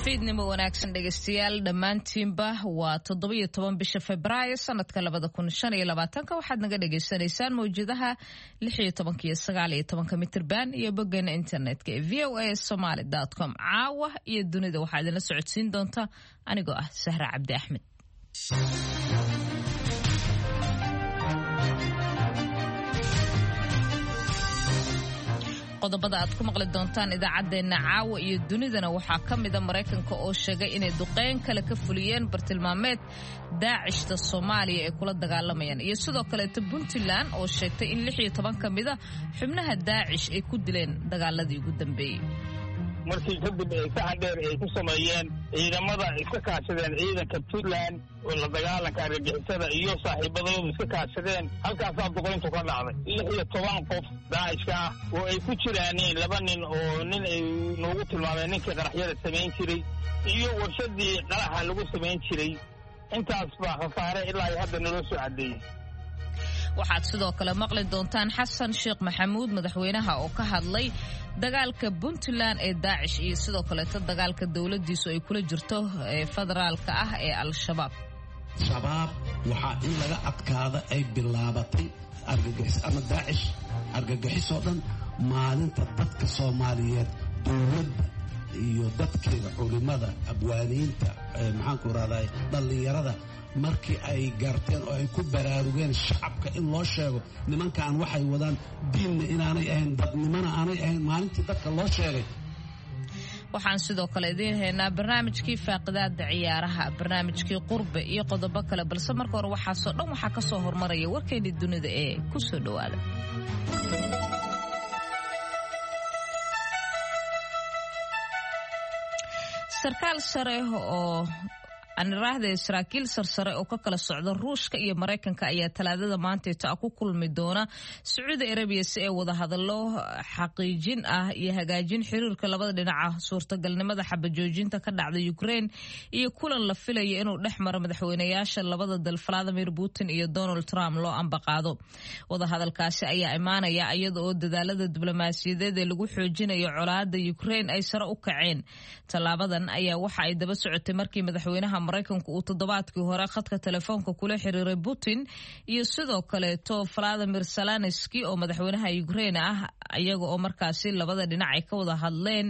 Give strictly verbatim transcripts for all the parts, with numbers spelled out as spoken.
Fiidnimo wanaagsan dhegeystayaal dhammaantiinba. Waa toddobiyo toban bisha Febraayo sanadka labada kun shan iyo labaatanka. Waxaad naga dhagaysanaysaan mawjadaha lix iyo tobanka iyo sagaal iyo tobanka mitirban iyo boggeena internetka ee V O A Somaly com. Caawa iyo dunida waxaa idinla socodsiin doonta anigoo ah Sahra Cabdi Axmed. Qodobada aad ku maqli doontaan idaacaddeenna caawa iyo dunidana waxaa ka mida Maraykanka oo sheegay inay duqeyn kale ka fuliyeen bartilmaameed Daacishta Soomaaliya ay kula dagaalamayaan, iyo sidoo kaleeto Puntland oo sheegtay in lix iyo toban ka mida xubnaha Daacish ay ku dileen dagaaladii ugu dambeeyey. Markii kadib ay saxa dheer ay ku sameeyeen ciidamada, iska kaashadeen ciidanka Puntland oo la dagaalanka argagixisada iyo saaxiibadoodu iska kaashadeen, halkaasaa duqayntu ka dhacday. Lix iyo toban qof Daacishka ah oo ay ku jiraaneen laba nin oo nin ay noogu tilmaameen ninkii qaraxyada samayn jiray iyo warshadii qaraxa lagu samayn jiray. Intaas baa khasaare ilaa iyo hadda naloo soo caddeeyey. Waxaad sidoo kale maqli doontaan Xasan Sheekh Maxamuud, madaxweynaha, oo ka hadlay dagaalka Puntland ee Daacish iyo sidoo kaleeto dagaalka dowladdiisu ay kula jirto ee federaalka ah ee Al-Shabaab. Shabaab waxaa in laga adkaada ay bilaabatay, argagixis ama Daacish, argagixisoo dhan, maalinta dadka Soomaaliyeed, dowladda iyo dadkeeda, culimada, abwaaniinta, maxaanku rahday, dhallinyarada, markii ay garteen oo ay ku baraarugeen shacabka in loo sheego nimankan waxay wadaan diinna inaanay ahayn, dadnimona aanay ahayn, maalintii dadka loo sheegay. Waxaan sidoo kale idiin haynaa barnaamijkii faaqidaada ciyaaraha, barnaamijkii qurbe iyo qodobo kale, balse marka hore waxaasoo dhan waxaa ka soo hormaraya warkeennii dunida ee ku soo dhowaada. Sarkaal sare oo aniraahda saraakiil sarsare oo ka kala socda Ruushka iyo Maraykanka ayaa Talaadada maanteeto ah ku kulmi doona Sacuudi Arabiya si ay wadahadallo xaqiijin ah iyo hagaajin xiriirka labada dhinaca, suurtagalnimada xabajoojinta ka dhacda Ukraine iyo kulan la filaya inuu dhex maro madaxweynayaasha labada dal, Vladimir Putin iyo Donald Trump, loo ambaqaado. Wadahadalkaasi ayaa imaanaya iyada oo dadaalada diblomaasiyadeed ee lagu xoojinayo colaada Ukraine ay sare u kaceen. Tallaabadan ayaa waxa ay daba socotay markii madaxweynaha Maraykanku uu toddobaadkii hore khadka telefoonka kula xiriiray Putin iyo sidoo kaleeto Valadimir Zelenski oo madaxweynaha Ukraine ah, iyaga oo markaasi labada dhinac ay ka wada hadleen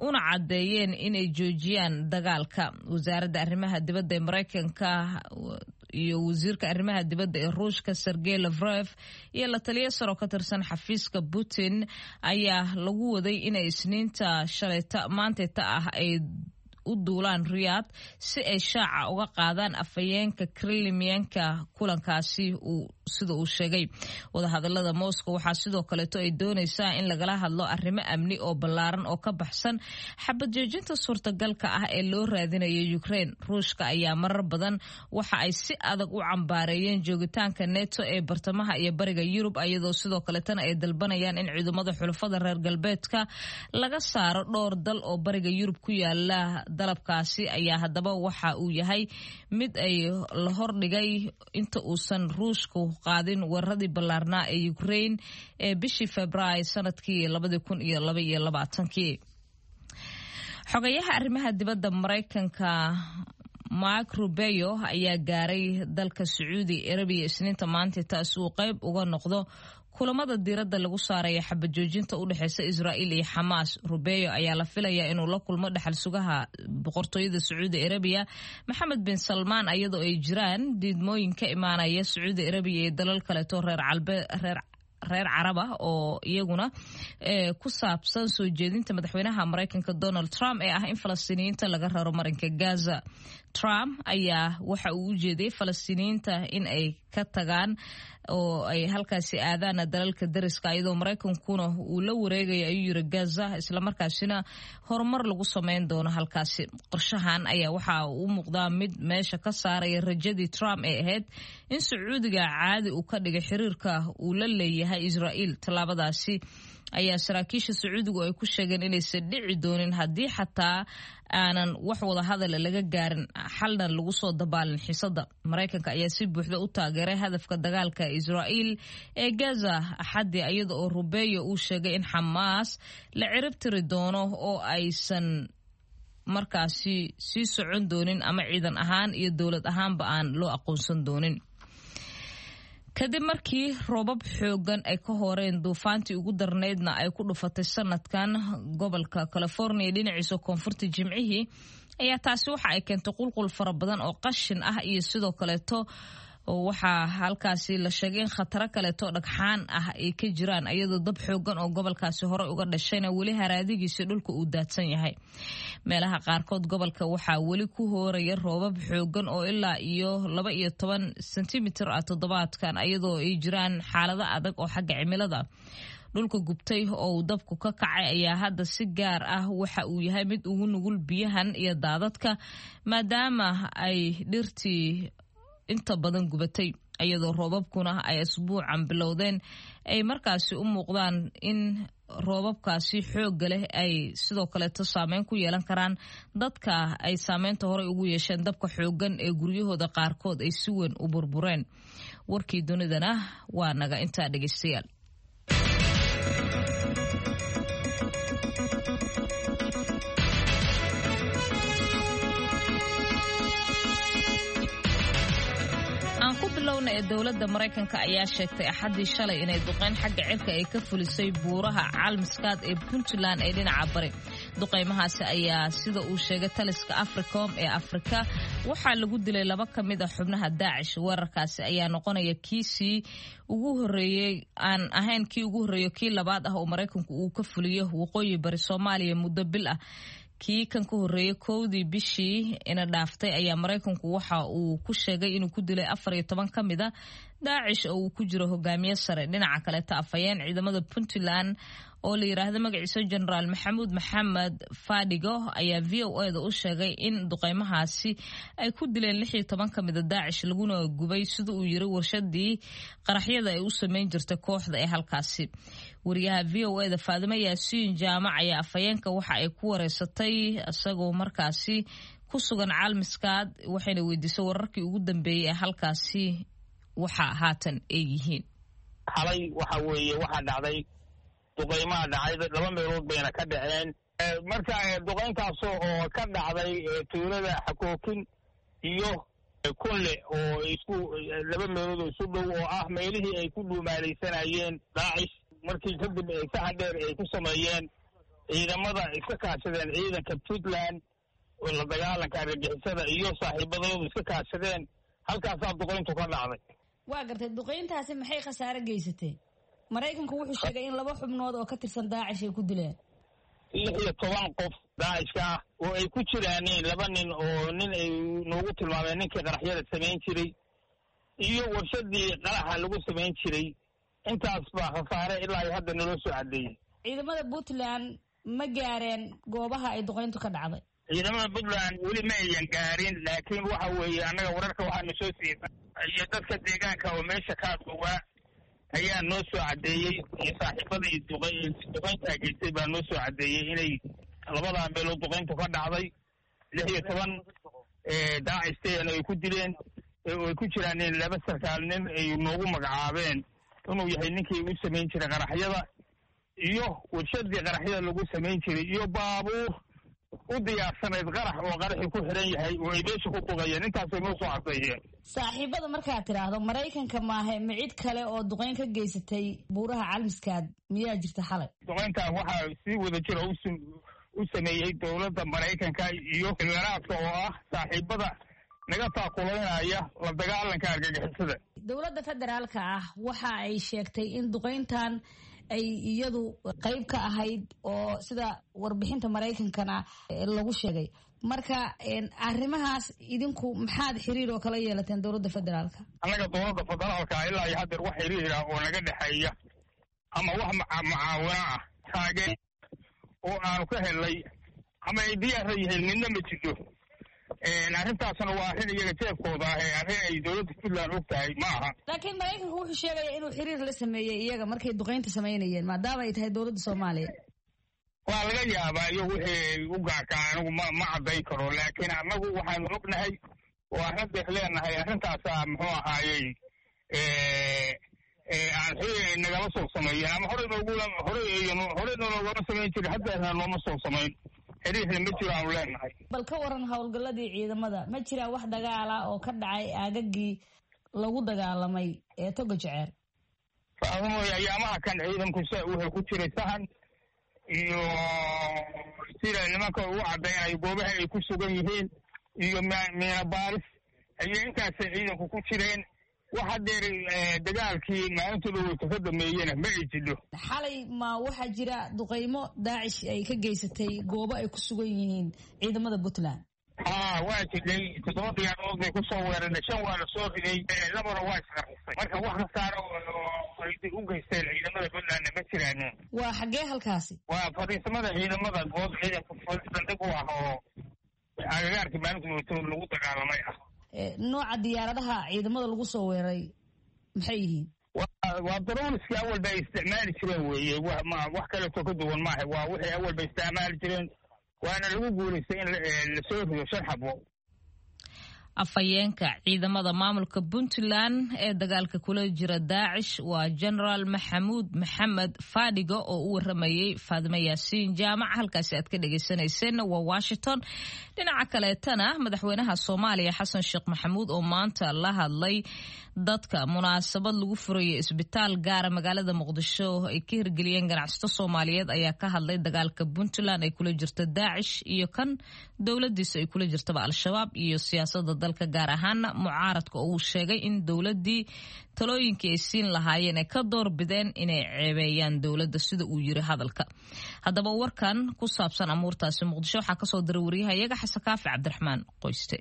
una caddeeyeen inay joojiyaan dagaalka. Wasaaradda arrimaha dibadda ee Maraykanka iyo wasiirka arrimaha dibadda ee Ruushka, Sergey Lavrov, iyo la taliya saro ka tirsan xafiiska Putin ayaa lagu waday inay Isniinta shalayta maantayta ah ay u duulaan Riyaad si ay shaaca uga qaadaan afhayeenka Kremlinka kulankaasi uu sida uu sheegay. Wadahadalada Moscow waxaa sidoo kaleeto ay doonaysaa in lagala hadlo arrimo amni oo ballaaran oo ka baxsan xabad joojinta suurtagalka ah ee loo raadinayo Ukraine. Ruushka ayaa marar badan waxa ay si adag u cambaareeyeen joogitaanka NATO ee bartamaha iyo bariga Yurub, iyadoo sidoo kaleetana ay dalbanayaan in ciidamada xulafada reer galbeedka laga saaro dhowr dal oo bariga Yurub ku yaala. Dalabkaasi ayaa haddaba waxa uu yahay mid ay la hordhigay inta uusan Ruushku qaadin weeraradii ballaarnaa ee Ukraine ee bishii Februaayo sanadkii labadii kun iyo laba iyo labaatankii. Xogayaha arrimaha dibadda Maraykanka Mark Rubeo ayaa gaaray dalka Sacuudi Arabiya Isniinta maanta, taasi uu qayb uga noqdo kulamada diiradda lagu saaraya xabajoojinta u dhexeysa Israa'iil iyo Xamaas. Rubeo ayaa la filayaa inuu la kulmo dhexal sugaha boqortooyada Sacuudi Arabiya, Maxamed bin Salmaan, iyadoo ay jiraan diidmooyin ka imaanaya Sacuudi Arabiya iyo dalal kaleeto reer reer reer Carab ah oo iyaguna ku saabsan soo jeedinta madaxweynaha Maraykanka Donald Trump ee ah in Falastiiniyiinta laga raro marinka Gaza. Trump ayaa waxa uu u jeediyey Falastiiniyiinta in ay ka tagaan oo ay halkaasi aadaan dalalka dariska, iyadoo Maraykankuna uu la wareegaya, ayuu yiri, Gaza, islamarkaasina horumar lagu sameyn doono halkaasi. Qorshahan ayaa waxa uu u muuqdaa mid meesha ka saaraya rajadii Trump ee ahayd in Sacuudiga caadi uu ka dhigay xiriirka uu la leeyahay Israa'iil. Tallaabadaasi ayaa saraakiisha Sacuudigu ay ku sheegeen inaysan dhici doonin haddii xataa aanan wax wada hadala laga gaarin, xalna lagu soo dabaalin xiisada. Maraykanka ayaa si buuxda u taageeray hadafka dagaalka Israa'iil ee Gaza Axaddii, iyada oo Rubeo uu sheegay in Xamaas la cirib tiri doono oo aysan markaasi sii socon doonin ama ciidan ahaan iyo dowlad ahaanba aan loo aqoonsan doonin. Kadib markii roobab xoogan ay ka horeen duufaantii ugu darnaydna ay ku dhufatay sanadkan gobolka California dhinaciisa koonfurta Jimcihii, ayaa taasi waxa ay keentay qulqul fara badan oo qashin ah iyo sidoo kaleeto waxaa halkaasi la sheegay in khataro kaleeto dhagxaan ah ay ka jiraan, iyadoo dab xoogan oo gobolkaasi hore uga dhashayna weli haraadigiisa dhulka uu daadsan yahay. Meelaha qaarkood gobolka waxaa weli ku hooraya roobab xoogan oo ilaa iyo laba iyo toban sentimitir ah toddobaadkan, iyadoo ay jiraan xaalado adag oo xagga cimilada. Dhulka gubtay oo uu dabku ka kacay ayaa hadda si gaar ah waxa uu yahay mid ugu nugul biyahan iyo daadadka, maadaama ay dhirtii inta badan gubatay, iyadoo roobabkuna ay asbuucan bilowdeen ay markaasi u muuqdaan in roobabkaasi xoogga leh ay sidoo kaleeto saameyn ku yeelan karaan dadka ay saameynta horey ugu yeesheen dabka xooggan ee guryahooda qaarkood ay si weyn u burbureen. Warkii dunidana waa naga intaa, dhegeystayaal. Ee dowladda Maraykanka ayaa sheegtay Axaddii shalay inay duqeyn xagga cirka ay ka fulisay buuraha Caalmiskaad ee Puntland ee dhinaca bari. Duqeymahaasi ayaa, sida uu sheegay taliska Africom ee Afrika, waxaa lagu dilay laba ka mid a xubnaha Daacish. Weerarkaasi ayaa noqonaya kiisii ugu horeeyey aan ahayn kii ugu horreeyo kii labaad ah oo Maraykanku uu ka fuliyo waqooyi bari Soomaaliya muddo bil ah. Kii kan ka horreeyay kowdii bishii ina dhaaftay ayaa Maraykanku waxa uu ku sheegay inuu ku dilay afar iyo toban ka mid a Daacish oo uu ku jiro hogaamiye sare. Dhinaca kaleeta, afhayeen ciidamada Puntland oo la yiraahdo magaciisa Jenaraal Maxamuud Maxamed Fadhigo ayaa V O A da u sheegay in duqeymahaasi ay ku dileen lix iyo toban ka mid a Daacish, laguna gubay, sida uu yiri, warshadii qaraxyada ay u sameyn jirtay kooxda ee halkaasi. Wariyaha V O A da Faadimo Yaasiin Jaamac ayaa afhayeenka waxa ay ku wareysatay isagoo markaasi ku sugan Caalmiskaad, waxayna weydiisay wararkii ugu dambeeyey ee halkaasi waxa haatan ay yihiin. Xalay waxa weeye waxaa dhacday duqeymaha dhacay, laba meelood bayna ka dhaceen. Marka duqeyntaas oo ka dhacday tuulada Xakookin iyo Kunle oo isku laba meelood oo isu dhow oo ah meelihii ay ku dhuumaalaysanayeen Daacish, markii kadib saxa dheer ay ku sameeyeen ciidamada iska kaashadeen ciidanka Puntland oo la dagaalanka argagixisada iyo saaxiibadoodu iska kaashadeen, halkaasaa duqeyntu ka dhacday. Waa gartay, duqeyntaasi maxay khasaare geysatay? Maraykanku wuxuu sheegay in laba xubnood oo ka tirsan Daacish ay ku dileen. Lix iyo toban qof Daacishka ah oo ay ku jiraaneen laba nin oo nin ay noogu tilmaameen ninkii qaraxyada samayn jiray iyo warshadii qaraxa lagu samayn jiray, intaas baa khasaare ilaa iyo hadda naloo soo caddeeyey. Ciidamada Puntland ma gaareen goobaha ay duqeyntu ka dhacday? Ciidamada Puntland weli ma ayan gaarin, laakiin waxa weeye annaga wararka waxaanu soo siiyey iyo dadka deegaanka oo meesha kaa ogaa ayaa noo soo caddeeyey, iyo saaxiibadii duqeyntaa geystay baa noo soo caddeeyey inay labadaa meelood duqeyntu ka dhacday, lix iyo toban daacistayana ay ku dileen oo ay ku jiraan laba sarkaal, nin ay noogu magacaabeen inuu yahay ninkii u samayn jiray qaraxyada iyo warshadii qaraxyada lagu samayn jiray iyo baabuur u diyaarsanayd qarax oo qaraxii ku xiran yahay oo ay meesha ku duqeeyeen. Intaasay noo soo caddeeyeen. Saaxiibada markaad tidhaahdo Maraykanka maahe, ma cid kale oo duqeyn ka geysatay buuraha Calmiskaad miyaa jirta xalay? Duqeyntan waxaa sii wada jira u sameeyey dowladda Maraykanka iyo Imaaraadka oo ah saaxiibada naga taakulaynaya la dagaalanka argagixisada. Dowladda federaalka ah waxa ay sheegtay in duqeyntan ay iyadu qayb ka ahayd, oo sida warbixinta Maraykankana lagu sheegay. Marka arrimahaas idinku maxaad xiriir oo kala yeelateen dowladda federaalka? Annaga dowladda federaalka ilaa iyo haddeer wax xiriira oo naga dhexeeya ama wax mucaawino ah taageer oo aanu ka helnay ama ay diyaarra yihiin midna ma jirto. Arrintaasna waa arrin iyaga jeebkooda ah ee arrin ay dowladda Puntland og tahay ma aha. Laakiin Maraykanku wuxuu sheegaya inuu xiriir la sameeyey iyaga markay duqeynta samaynayeen, maadaama ay tahay dowladda Soomaaliya. Waa laga yaabaa iyo wixii u gaarkaa anigu ma ma caddayn karo, laakiin annagu waxaanu ognahay oo arrintaas leenahay arrintaasaa muxuu ahaayey aan xiriir nagala soo sameeyeen ama horey noogu horey horey noogama samayn jirin, haddeerna nooma soo samayn. Xiriirna ma jiro aanu leenahay. Bal ka waran howlgalladii ciidamada, ma jiraa wax dagaala oo ka dhacay aagagii lagu dagaalamay ee Toga Jeceer? Faadumoy, ayaamaha kan ciidanku wuxuu ku jiray sahan iyo sida nimanka ugu caddaynayo goobaha ay ku sugan yihiin iyo miina baaris ayay intaasay ciidanku ku jireen. Wax hadeer dagaalkii maalinta dhaweyta ka dameeyena ma ay jidho. Xalay ma waxaa jira duqeymo Daacish ay ka geysatay goobo ay ku sugan yihiin ciidamada Puntland? Haa, waa jidhay. Toddoba diyaarood bay kusoo weerarnay, shan waa la soo riday, labana waa isqarxisay. Marka wax khasaaro oo ay u geysteen ciidamada Puntlandna ma jiraan. Waa xaggee halkaasi? Waa fadhiisamada ciidamada, goob ciidanka saldhig u ah oo agagaarkii maalinta dhaweyta lagu dagaalamay ah. Nooca diyaaradaha ciidamada lagu soo weeraray maxay yihiin? Waa darooniskii awalba ay isticmaali jireen weeye, wax kaleeto ka duwan maaha. Waa wixii awalba isticmaali jireen, waana lagu guulaystay in lasoo rido shan xabo. Afhayeenka ciidamada maamulka Puntland ee dagaalka kula jira Daacish waa Genaraal Maxamuud Maxamed Fadhigo oo u waramayey Faadime Yaasiin Jaamac. Halkaasi aad ka dhegeysaneyseen waa Washington. Dhinaca kaleetana, madaxweynaha Soomaaliya Xasan Sheekh Maxamuud oo maanta la hadlay dadka munaasabad lagu furayo isbitaal gaara magaalada Muqdisho ay ka hirgeliyeen ganacsato Soomaaliyeed ayaa ka hadlay dagaalka Puntland ay kula jirto Daacish iyo kan dowladiisa ay kula jirtaba Al-Shabaab iyo siyaasada dalka, gaar ahaana mucaaradka oo uu sheegay in dowladii talooyinkii ay siin lahaayeen ay ka door bideen inay ceebeeyaan dowladda, sida uu yiri hadalka. Haddaba warkan ku saabsan amuurtaasi Muqdisho waxaa kasoo diray wariyahayaga Xasan Kaafi Cabdiraxmaan Qoyste.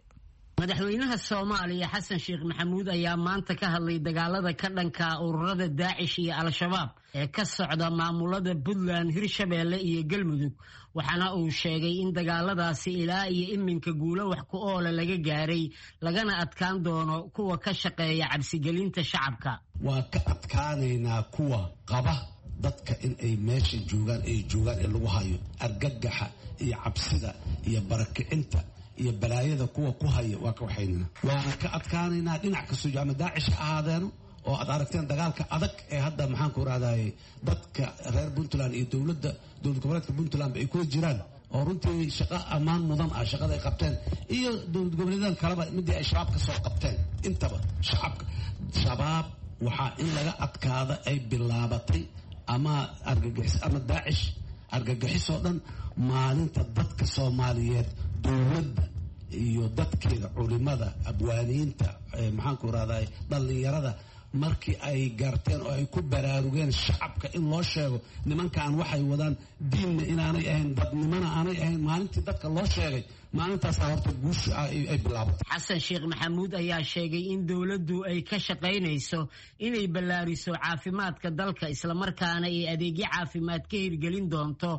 Madaxweynaha Soomaaliya Xasan Sheekh Maxamuud ayaa maanta ka hadlay dagaalada ka dhanka ururada Daacish iyo Al-Shabaab ee ka socda maamulada Puntland, Hirshabeelle iyo Galmudug, waxaana uu sheegay in dagaaladaasi ilaa iyo iminka guulo wax ku oola laga gaaray, lagana adkaan doono kuwa ka shaqeeya cabsigelinta shacabka. Waa ka adkaanaynaa kuwa qaba dadka in ay meesha joogaan ay joogaan ee lagu hayo argagaxa iyo cabsida iyo barakicinta iyo balaayada kuwa ku haya, waa ka waxaynana, waana ka adkaanaynaa dhinac kastoo ama Daacish ha ahaadeeno oo aad aragteen dagaalka adag ee hadda maxaan ku rahdaye dadka reer Puntland iyo dowladda dowlad goboleedka Puntland ay kula jiraan, oo runtii shaqo ammaan mudan ah shaqada ay qabteen, iyo dowlad goboleedan kaleba midii ay shabaab ka soo qabteen intaba. Shacabka Shabaab waxaa in laga adkaada ay bilaabatay ama argagixis ama Daacish argagixisoo dhan maalinta dadka Soomaaliyeed dowladda iyo dadkeeda, culimada, abwaaniinta, maxaanku rahday dhallinyarada, markii ay garteen oo ay ku baraarugeen shacabka in loo sheego nimankan waxay wadaan diinna inaanay ahayn, dadnimona aanay ahayn, maalintii dadka loo sheegay maalintaasaa horta guusha ay bilaabatay. Xasan Sheekh Maxamuud ayaa sheegay in dowladdu ay ka shaqaynayso inay ballaariso caafimaadka dalka, islamarkaana ay adeegyo caafimaad ka hirgelin doonto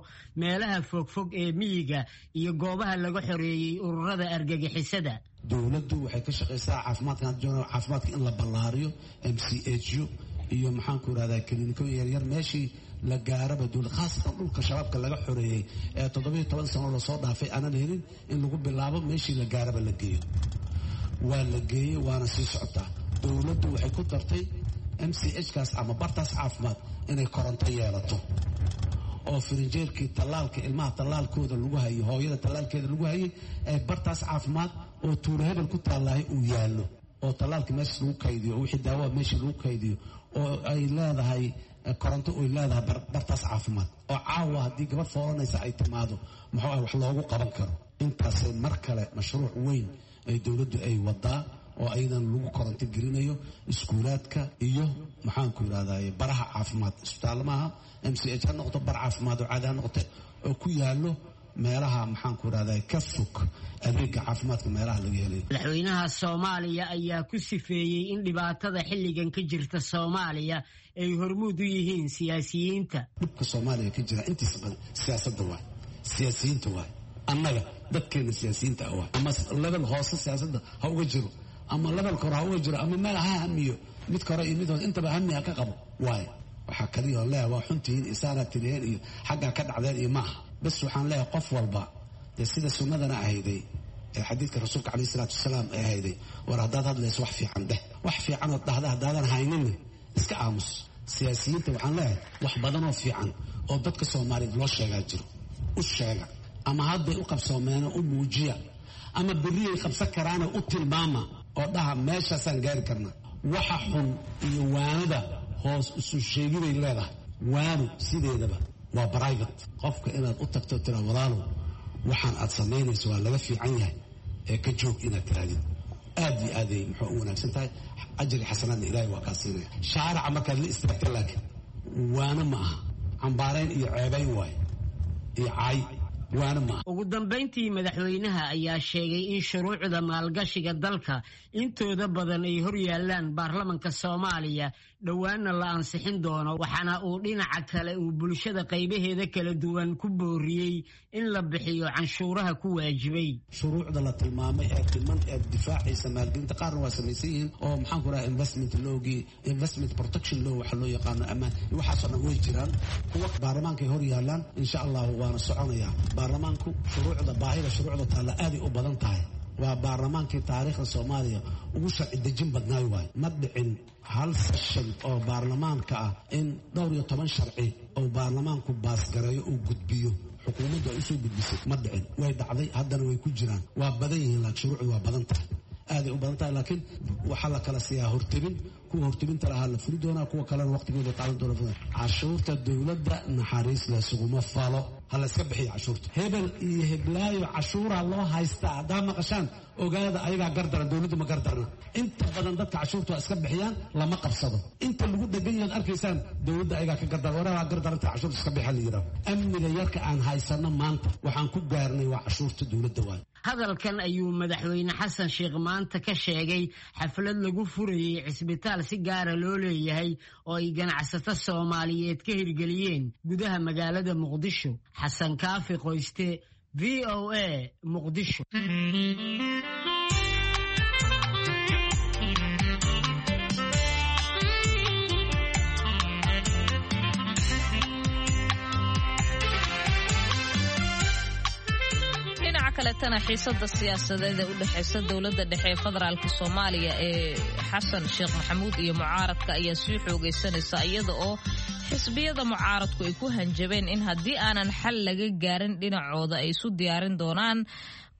meelaha fogfog ee miyiga iyo goobaha laga xoreeyey ururada argagixisada. Dowladdu waxay ka shaqaysaa caafimaadka, caafimaadka in la ballaariyo, M C H U iyo maxaanku irahdaa kiliinikooyin yaryar meeshii la gaaraba dowlad, khaasatan dhulka shabaabka laga xoreeyey ee toddobiyo toban sano lasoo dhaafay aanan helin in lagu bilaabo, meeshii la gaaraba la geeyo. Waa la geeyey, waana sii socotaa. Dowladdu waxay ku dartay M C H kaas ama bartaas caafimaad inay koronto yeelato oo firinjeerkii tallaalka ilmaha tallaalkooda lagu hayay, hooyada tallaalkeeda lagu hayay ee bartaas caafimaad oo tuulo hebel ku taallahay uu yaallo, oo tallaalka meesha lagu kaydiyo, oo wixii daawaa meesha lagu kaydiyo, oo ay leedahay koronto, oy leedahay bartaas caafimaad, oo caawa haddii gabadh foolanaysa ay timaado muxuu ah wax loogu qaban karo. Intaasay mar kale mashruuc weyn ay dowladdu ay wadaa oo ayadan lagu koronto gelinayo iskuulaadka iyo maxaanku yidhahdaye baraha caafimaad, isbitaallo maaha, M C H ha noqoto, bar caafimaad oo caadi ha noqote, oo ku yaallo meelaha maxaanku yidhahdaye ka fog adeega caafimaadka meelaha laga helayo. Madaxweynaha Soomaaliya ayaa ku sifeeyey in dhibaatada xilligan ka jirta Soomaaliya ay hormuud u yihiin siyaasiyiinta. Dhibka Soomaaliya ka jira intiisa badan siyaasadda waay, siyaasiyiinta waay, annaga dadkeena siyaasiyiinta ah waay. Ama level hoose siyaasadda ha uga jiro ama levelka hore ha uga jiro ama meel ha hamiyo, mid hore iyo mid hoose intaba hami ha ka qabo waayo. Waxaa kaliya oo leeyahay waa xuntihiin iyo saanaa tiriyeen iyo xaggaa ka dhacdeen iyo maaha. Bas waxaan leeyahay qof walba dee sida sunnadana ahayday ee xadiidka rasuulka caleyhi salaatu wasalaam ee ahayday, war haddaad hadlayso wax fiican dheh, wax fiicanood dhahda haddaadan hayninna iska aamus. Siyaasiyiinta waxaan leeyahay wax badanoo fiican oo dadka Soomaaliyeed loo sheegaa jiro, u sheega. Ama hadday u qabsoomeenoo u muujiya, ama berriyay qabsan karaanoo u tilmaama oo dhaha meeshaasaan gaari karnaa. Waxa xun iyo waanada hoos isu sheegiday leedahay. Waanu sideedaba waa private. Qofka inaad u tagto tira walaalow waxaan aad samaynayso waa laga fiican yahay ee ka joog inaad tiraadid aad iyo aaday muxuu u wanaagsan tahay. Ajri xasanaadna ilaahay waa kaa siinaya. Shaaraca markaad la istaagta laakiin waana ma aha, cambaarayn iyo ceebayn waaye iyo caay, waana ma aha. Ugu dambayntii madaxweynaha ayaa sheegay in shuruucda maalgashiga dalka intooda badan ay hor yaallaan baarlamanka Soomaaliya, dhowaanna la ansixin doono. Waxaana uu dhinaca kale uu bulshada qaybaheeda kala duwan ku booriyey in la bixiyo canshuuraha ku waajibay. Shuruucda la tilmaamay ee dhiman ee difaacaysa maalgelinta qaarna waa samaysan yihiin oo maxaan ku rahaa investment lawgii, investment protection law waxa loo yaqaano, ammaan, waxaasoo dhan way jiraan. Kuwa baarlamaankay hor yaallaan insha allahu waana soconayaa. Baarlamaanku shuruucda, baahida shuruucda taalla aaday u badan tahay. Waa baarlamaankii taariikhda Soomaaliya ugu sharci dejin badnaay waayo. Ma dhicin hal session oo baarlamaanka ah in dhowr iyo toban sharci oo baarlamaanku baasgareeyo uu gudbiyo, xukuumaddu ay usoo gudbisay, ma dhicin. Way dhacday, haddana way ku jiraan. Waa badan yihiin, laakiin shuruucdu waa badan tahay, aaday u badan tahay. Laakiin waxaa la kala siiyaa hortebin. Kuwa hortebinta lahaa la furi doonaa, kuwa kalena waqtigooda qaadan doona. Cashuurta dowladda naxariis laysuguma falo, ha la iska bixiyo cashuurta. Hebel iyo heblaayo cashuuraa loo haystaa haddaa maqashaan, ogaada ayagaa gardaran, dowladdu ma gardarna. Inta badan dadka cashuurta waa iska bixiyaan, lama qabsado. Inta lagu dhegan yahaad arkaysaan dowladda ayagaa ka gardaran, waraa gardaranta cashuurta iska bixa la yidhaho. Amniga yarka aan haysano maanta waxaan ku gaarnay waa cashuurta dowladda waayo. Hadalkan ayuu madaxweyne Xasan Sheekh maanta ka sheegay xaflad lagu furayey cisbitaal si gaara loo leeyahay oo ay ganacsato Soomaaliyeed ka hirgeliyeen gudaha magaalada Muqdisho. Xasan Kaafi Qoyste, V O A, Muqdisho. Kaletana xiisada siyaasadeed ee u dhexeysa dowladda dhexe ee federaalka Soomaaliya ee Xasan Sheekh Maxamuud iyo mucaaradka ayaa sii xoogaysanaysa, iyada oo xisbiyada mucaaradku ay ku hanjabeen in haddii aanan xal laga gaarin dhinacooda ay isu diyaarin doonaan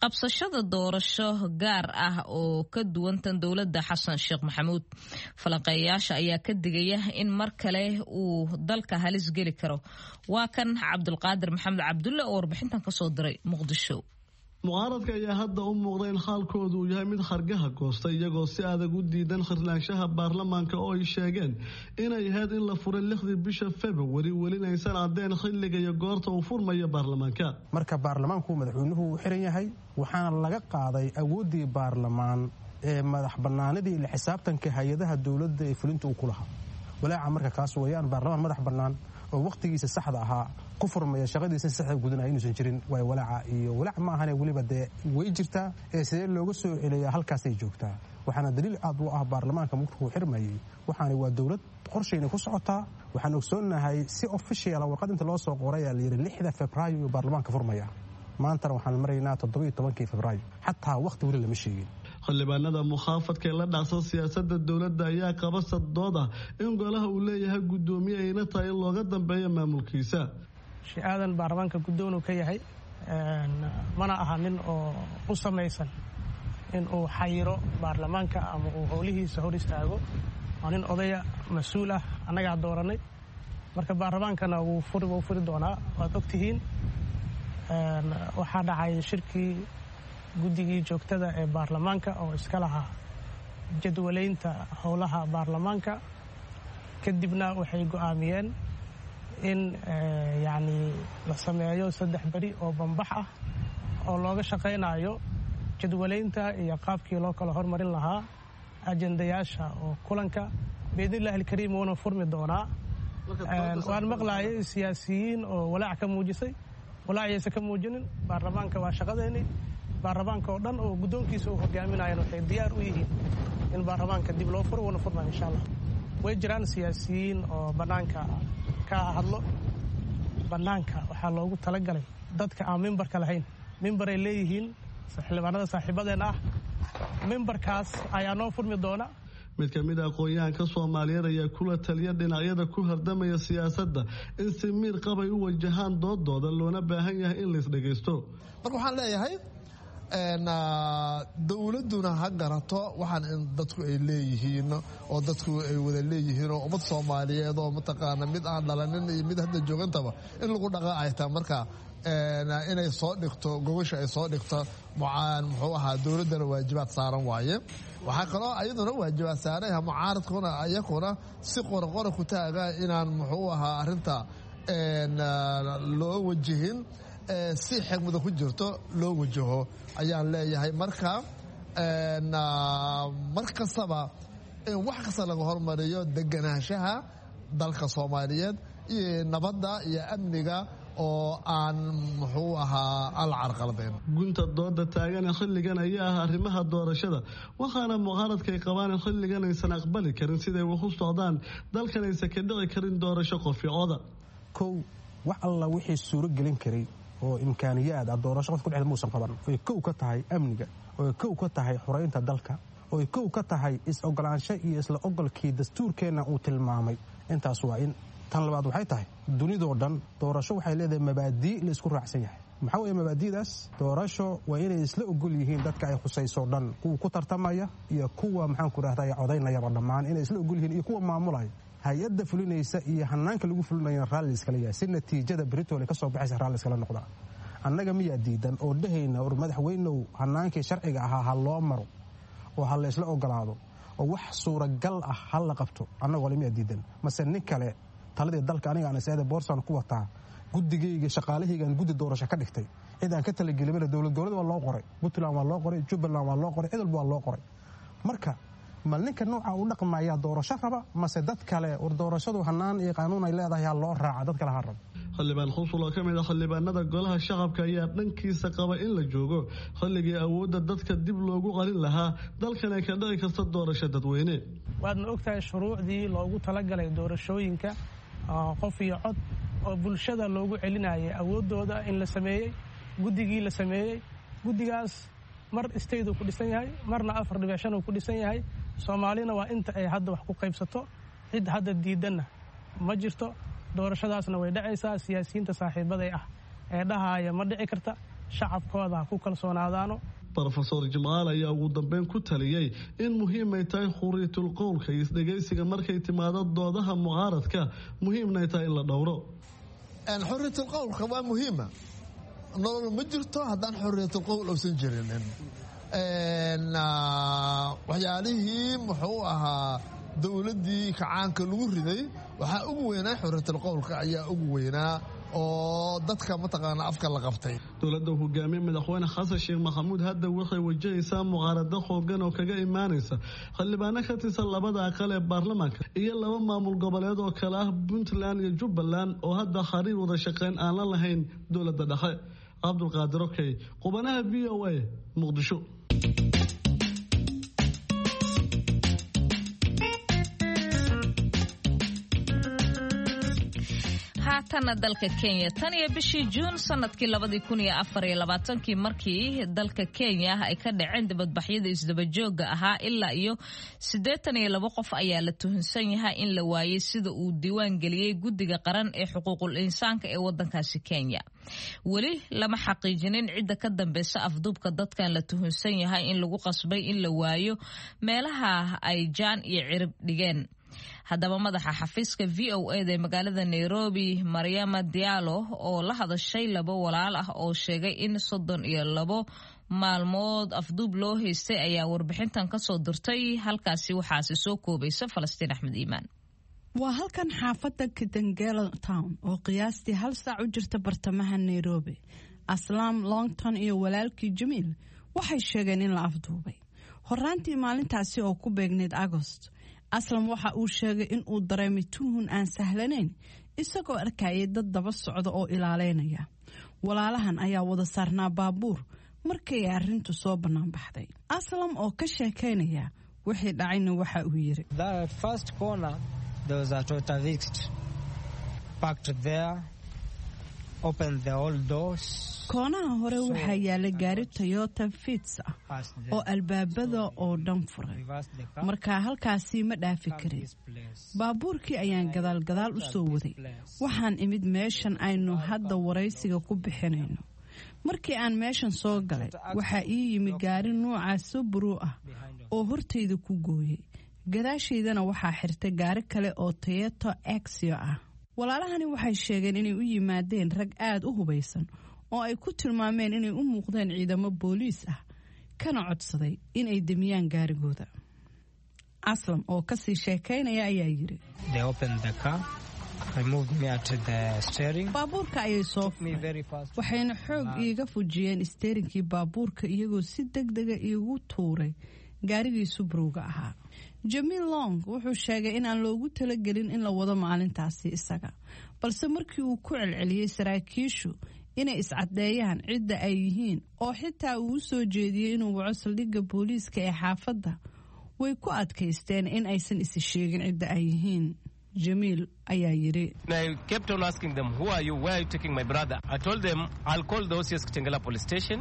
qabsashada doorasho gaar ah oo ka duwan tan dowladda Xasan Sheekh Maxamuud. Falanqeeyayaasha ayaa ka digaya in mar kale uu dalka halis geli karo. Waa kan Cabdulqaadir Maxamed Cabdulle oo warbixintan kasoo diray Muqdisho. Mucaaradka ayaa hadda u muuqda in xaalkoodu uu yahay mid khargaha goostay, iyagoo si adag u diidan khirnaanshaha baarlamaanka oo ay sheegeen inay ahayd in la furay lixdii bisha Februari, welina aysan caddeen xilliga iyo goorta uu furmayo baarlamaanka. Marka baarlamaanku madaxweynuhu uu xiran yahay, waxaana laga qaaday awooddii baarlamaan ee madax bannaanidii la xisaabtanka hay-adaha dowladda ee fulinta uu ku lahaa. Walaaca marka kaas weeyaan, baarlamaan madax bannaan oo wakhtigiisa saxda ahaa ku furmaya, shaqadiisa saxda gudanaya inuusan jirin waay walaaca. Iyo walaac ma ahane, weliba dee way jirtaa ee sidee looga soo celiyaa halkaasay joogtaa. Waxaana daliil aad u ah baarlamaanka markuu xirmayay, waxaana waa dowlad qorshayna ku socotaa. Waxaan ogsoonnahay si officiala warqad inta loo soo qorayaa la yidhi lixda Febraayo iyuu baarlamaanka furmaya. Maantana waxaan maraynaa toddobiyo tobankii Febraayo, xataa wakhti weli lama sheegin. Xildhibaanada mukhaafadka ee la dhacsan siyaasadda dowladda ayaa qaba saddood ah in golaha uu leeyahay guddoomiye ayna tahay in looga dambeeyo maamulkiisa. Sheekh Aadan baarlamaanka guddoon uu ka yahay, mana aha nin oo u samaysan in uu xayiro baarlamaanka ama uu howlihiisa hor istaago. Waa nin odaya mas-uul ah, annagaa dooranay. Marka baarlamaankana wuu furi wuu furi doonaa, waad ogtihiin. Waxaa dhacay shirkii guddigii joogtada ee baarlamaanka oo iska lahaa jadwalaynta howlaha baarlamaanka. Kadibna waxay go'aamiyeen in yacni la sameeyo saddex beri oo bambax ah oo looga shaqaynayo jadwalaynta iyo qaabkii loo kala hormarin lahaa ajendayaasha oo kulanka. Biidnillahi alkariim wuuna furmi doonaa. Waan maqlaayay siyaasiyiin oo walaac ka muujisay, walaacaysa ka muujinin. Baarlamaanka waa shaqadeeni. Baarlamaanka oo dhan oo guddoonkiisa uu hogaaminayan waxay diyaar u yihiin in baarlamaanka dib loo furo, wuuna furmaya insha allah. Way jiraan siyaasiyiin oo bannaanka ka hadlo. Bannaanka waxaa loogu talagalay dadka aan mimbarka lahayn. Mimbaray leeyihiin xildhibaanada saaxiibadeen ah, mimbarkaas ayaa noo furmi doona. Mid ka mid a aqoon-yahanka Soomaaliyeed ayaa kula taliya dhinacyada ku hardamaya siyaasadda in si miir qabay u wajahaan doodooda, loona baahan yahay in lais dhagaysto. Marka waxaan leeyahay dowladduna ha garato waxaan in dadku ay leeyihiin oo dadku ay wada leeyihiin oo ummad Soomaaliyeed oo mataqaana mid aan dhalanin iyo mid hadda joogantaba in lagu dhaqaa ay tahay. Marka inay soo dhigto gogosha ay soo dhigto mucaan muxuu ahaa dowladdana waajibaad saaran waaye. Waxaa kaloo ayaduna waajibaad saaran mucaaradkuna iyakuna si qoraqora ku taaga inaan muxuu ahaa arrinta loo wajihin, si xigmada ku jirto loo wajaho ayaan leeyahay. Marka mar kastaba in wax kasta laga hormariyo deganaanshaha dalka Soomaaliyeed iyo nabadda iyo amniga oo aan muxuu ahaa aan la carqaladayn. Gunta dooda taagane xilligan ayaa ah arrimaha doorashada, waxaana mucaaradkay qabaan in xilligan aysan aqbali karin siday wax u socdaan, dalkan aysan ka dhici karin doorasho qoficooda. Kow, wax alla wixii suuro gelin karay oo imkaaniyaad ah doorasho qof ku dhexda muusan qaban, oy kow ka tahay amniga, oy kow ka tahay xoreynta dalka, oy kow ka tahay is-ogolaansho iyo isla ogolkii dastuurkeenna uu tilmaamay. Intaas waa in. Tan labaad waxay tahay dunidoo dhan doorasho waxay leedahay mabaadii la isku raacsan yahay. Maxaa weeye mabaadiidaas? Doorasho waa inay isla ogol yihiin dadka ay khusayso dhan, kuwa ku tartamaya iyo kuwa maxaanku rahday codaynayaba dhammaan inay isla ogol yihiin, iyo kuwa maamulaya hay-adda fulinaysa iyo hanaanka lagu fulinayana raalli iskala yahay, si natiijada britole ka soo baxaysa raalli iskala noqdaa. Annaga miyaa diidan oo dhehayna war madaxweynow hanaankii sharciga ahaa ha loo maro oo ha la isla ogolaado oo wax suuragal ah ha la qabto? Annagoo le miyaa diidan? Mase nin kale taladii dalka aniga aan isada boorsaan ku wataa, guddigayga shaqaalahaygaan guddi doorasho ka dhigtay, cid aan ka talagelimana dowlad goboleed waa loo qoray, Puntland waa loo qoray, Jubbaland waa loo qoray, cid walba waa loo qoray. Marka ma ninka nooca u dhaqmayaa doorasho raba, mase dad kale war doorashadu hanaan iyo qaanuun ay leedahay ha loo raaca, dad kale ha rabo? Xildhibaan Khusul oo ka mid ah xildhibaanada golaha shacabka ayaa dhankiisa qaba in la joogo xilligii awoodda dadka dib loogu qalin lahaa, dalkan ay ka dhici karta doorasho dadweyne. Waadna ogtahay shuruucdii loogu talagalay doorashooyinka qof iyo cod oo bulshada loogu celinayay awooddooda in la sameeyey, guddigii la sameeyey. Guddigaas mar state uu ku dhisan yahay, marna afar dhibic shan uu ku dhisan yahay. Soomaalina waa inta ay hadda wax ku qaybsato, cid hadda diidanna ma jirto. Doorashadaasna way dhacaysaa. Siyaasiyiinta saaxiibaday ah ee dhahaaya ma dhici karta, shacabkooda ha ku kalsoonaadaano. Rofesor Jimcaal ayaa ugu dambeyn ku taliyey in muhiimay tahay xuriyatul qowlka iyo isdhegaysiga markay timaado doodaha mucaaradka, muhiimna ay tahay in la dhowro. Xuriyatul qowlka waa muhiima. Nolol ma jirto haddaan xuriyatul qowl uusan jirinin. Waxyaalihii muxuu ahaa dowladdii kacaanka lagu riday waxaa ugu weynaa xuriyatul qowlka ayaa ugu weynaa oo dadka mataqaana afka la qabtay. Dowladda hogaamiye madaxweyne Xasan Sheekh Maxamuud hadda waxay wajahaysaa mucaarado xoogan oo kaga imaanaysa xildhibaano ka tirsan labada aqal ee baarlamaanka iyo laba maamul goboleed oo kale ah Puntland iyo Jubbaland oo hadda xariir wada shaqeyn aan la lahayn dowladda dhexe. Cabdulqaadir Okey, qubanaha V O A, Muqdisho. Haatana dalka Kenya, tan iyo bishii Juun sanadkii labadii kun iyo afar iyo labaatankii markii dalka Kenya ay ka dhaceen dibadbaxyada isdabajooga ahaa, ilaa iyo siddeetan iyo labo qof ayaa la tuhunsan yahay in la waayey, sida uu diiwaan geliyey guddiga qaran ee xuquuqul insaanka ee wadankaasi Kenya. Weli lama xaqiijinin cidda ka dambeysa afduubka dadkan la tuhunsan yahay in lagu qasbay in la waayo meelaha ay jaan iyo cirib dhigeen. Haddaba madaxa xafiiska V O A da ee magaalada Nairobi, Maryama Diallo, oo la hadashay labo walaal ah oo sheegay in soddon iyo labo maalmood afduub loo haystay, ayaa warbixintan kasoo dirtay halkaasi. Waxaasi soo koobaysa Falastiin Axmed Iimaan. Waa halkan xaafadda Kitengela Town oo qiyaastii hal saac u jirta bartamaha Nairobi. Aslaam Longton iyo walaalkii Jamiil waxay sheegeen in la afduubay horaantii maalintaasi oo ku beegneyd Agost. Aslam waxa uu sheegay in uu dareemay tuhun aan sahlanayn isagoo arkayay dad daba socda oo ilaaleynaya. Walaalahan ayaa wada saarnaa baabuur markay arrintu soo bannaan baxday. Aslam oo ka sheekaynaya wixii dhacayna waxa uu yiri: Koonaha hore waxaa yaala gaari Toyota Fits ah oo albaabada oo dhan furay, markaa halkaasi ma dhaafi karin. Baabuurkii ayaan gadaalgadaal u soo waday. Waxaan imid meeshan aynu hadda waraysiga ku bixinayno. Markii aan meeshan soo galay, waxaa ii yimi gaari nuuca Subaru ah oo hortayda ku gooyey. Gadaashaydana waxaa xirtay gaari kale oo Toyota Axio ah. Walaalahani waxay sheegeen inay u yimaadeen rag aad u hubaysan oo ay ku tilmaameen inay u muuqdeen ciidamo booliis ah, kana codsaday inay demiyaan gaarigooda. Aslam oo kasii sheekaynaya ayaa yiri: "Baabuurka ayay soo furay, waxayna xoog iiga fujiyeen isteerinkii baabuurka, iyagoo si deg dega iigu tuuray gaarigii Subaruga ahaa." Jamiil Long wuxuu sheegay inaan loogu talagelin in la wado maalintaasi isaga, balse markii uu ku celceliyey saraakiishu inay iscaddeeyaan cidda ay yihiin, oo xitaa uu u soo jeediyey inuu waco saldhigga booliiska ee xaafadda, way ku adkaysteen in aysan isi sheegin cidda ay yihiin. Jamiil ayaa yiri: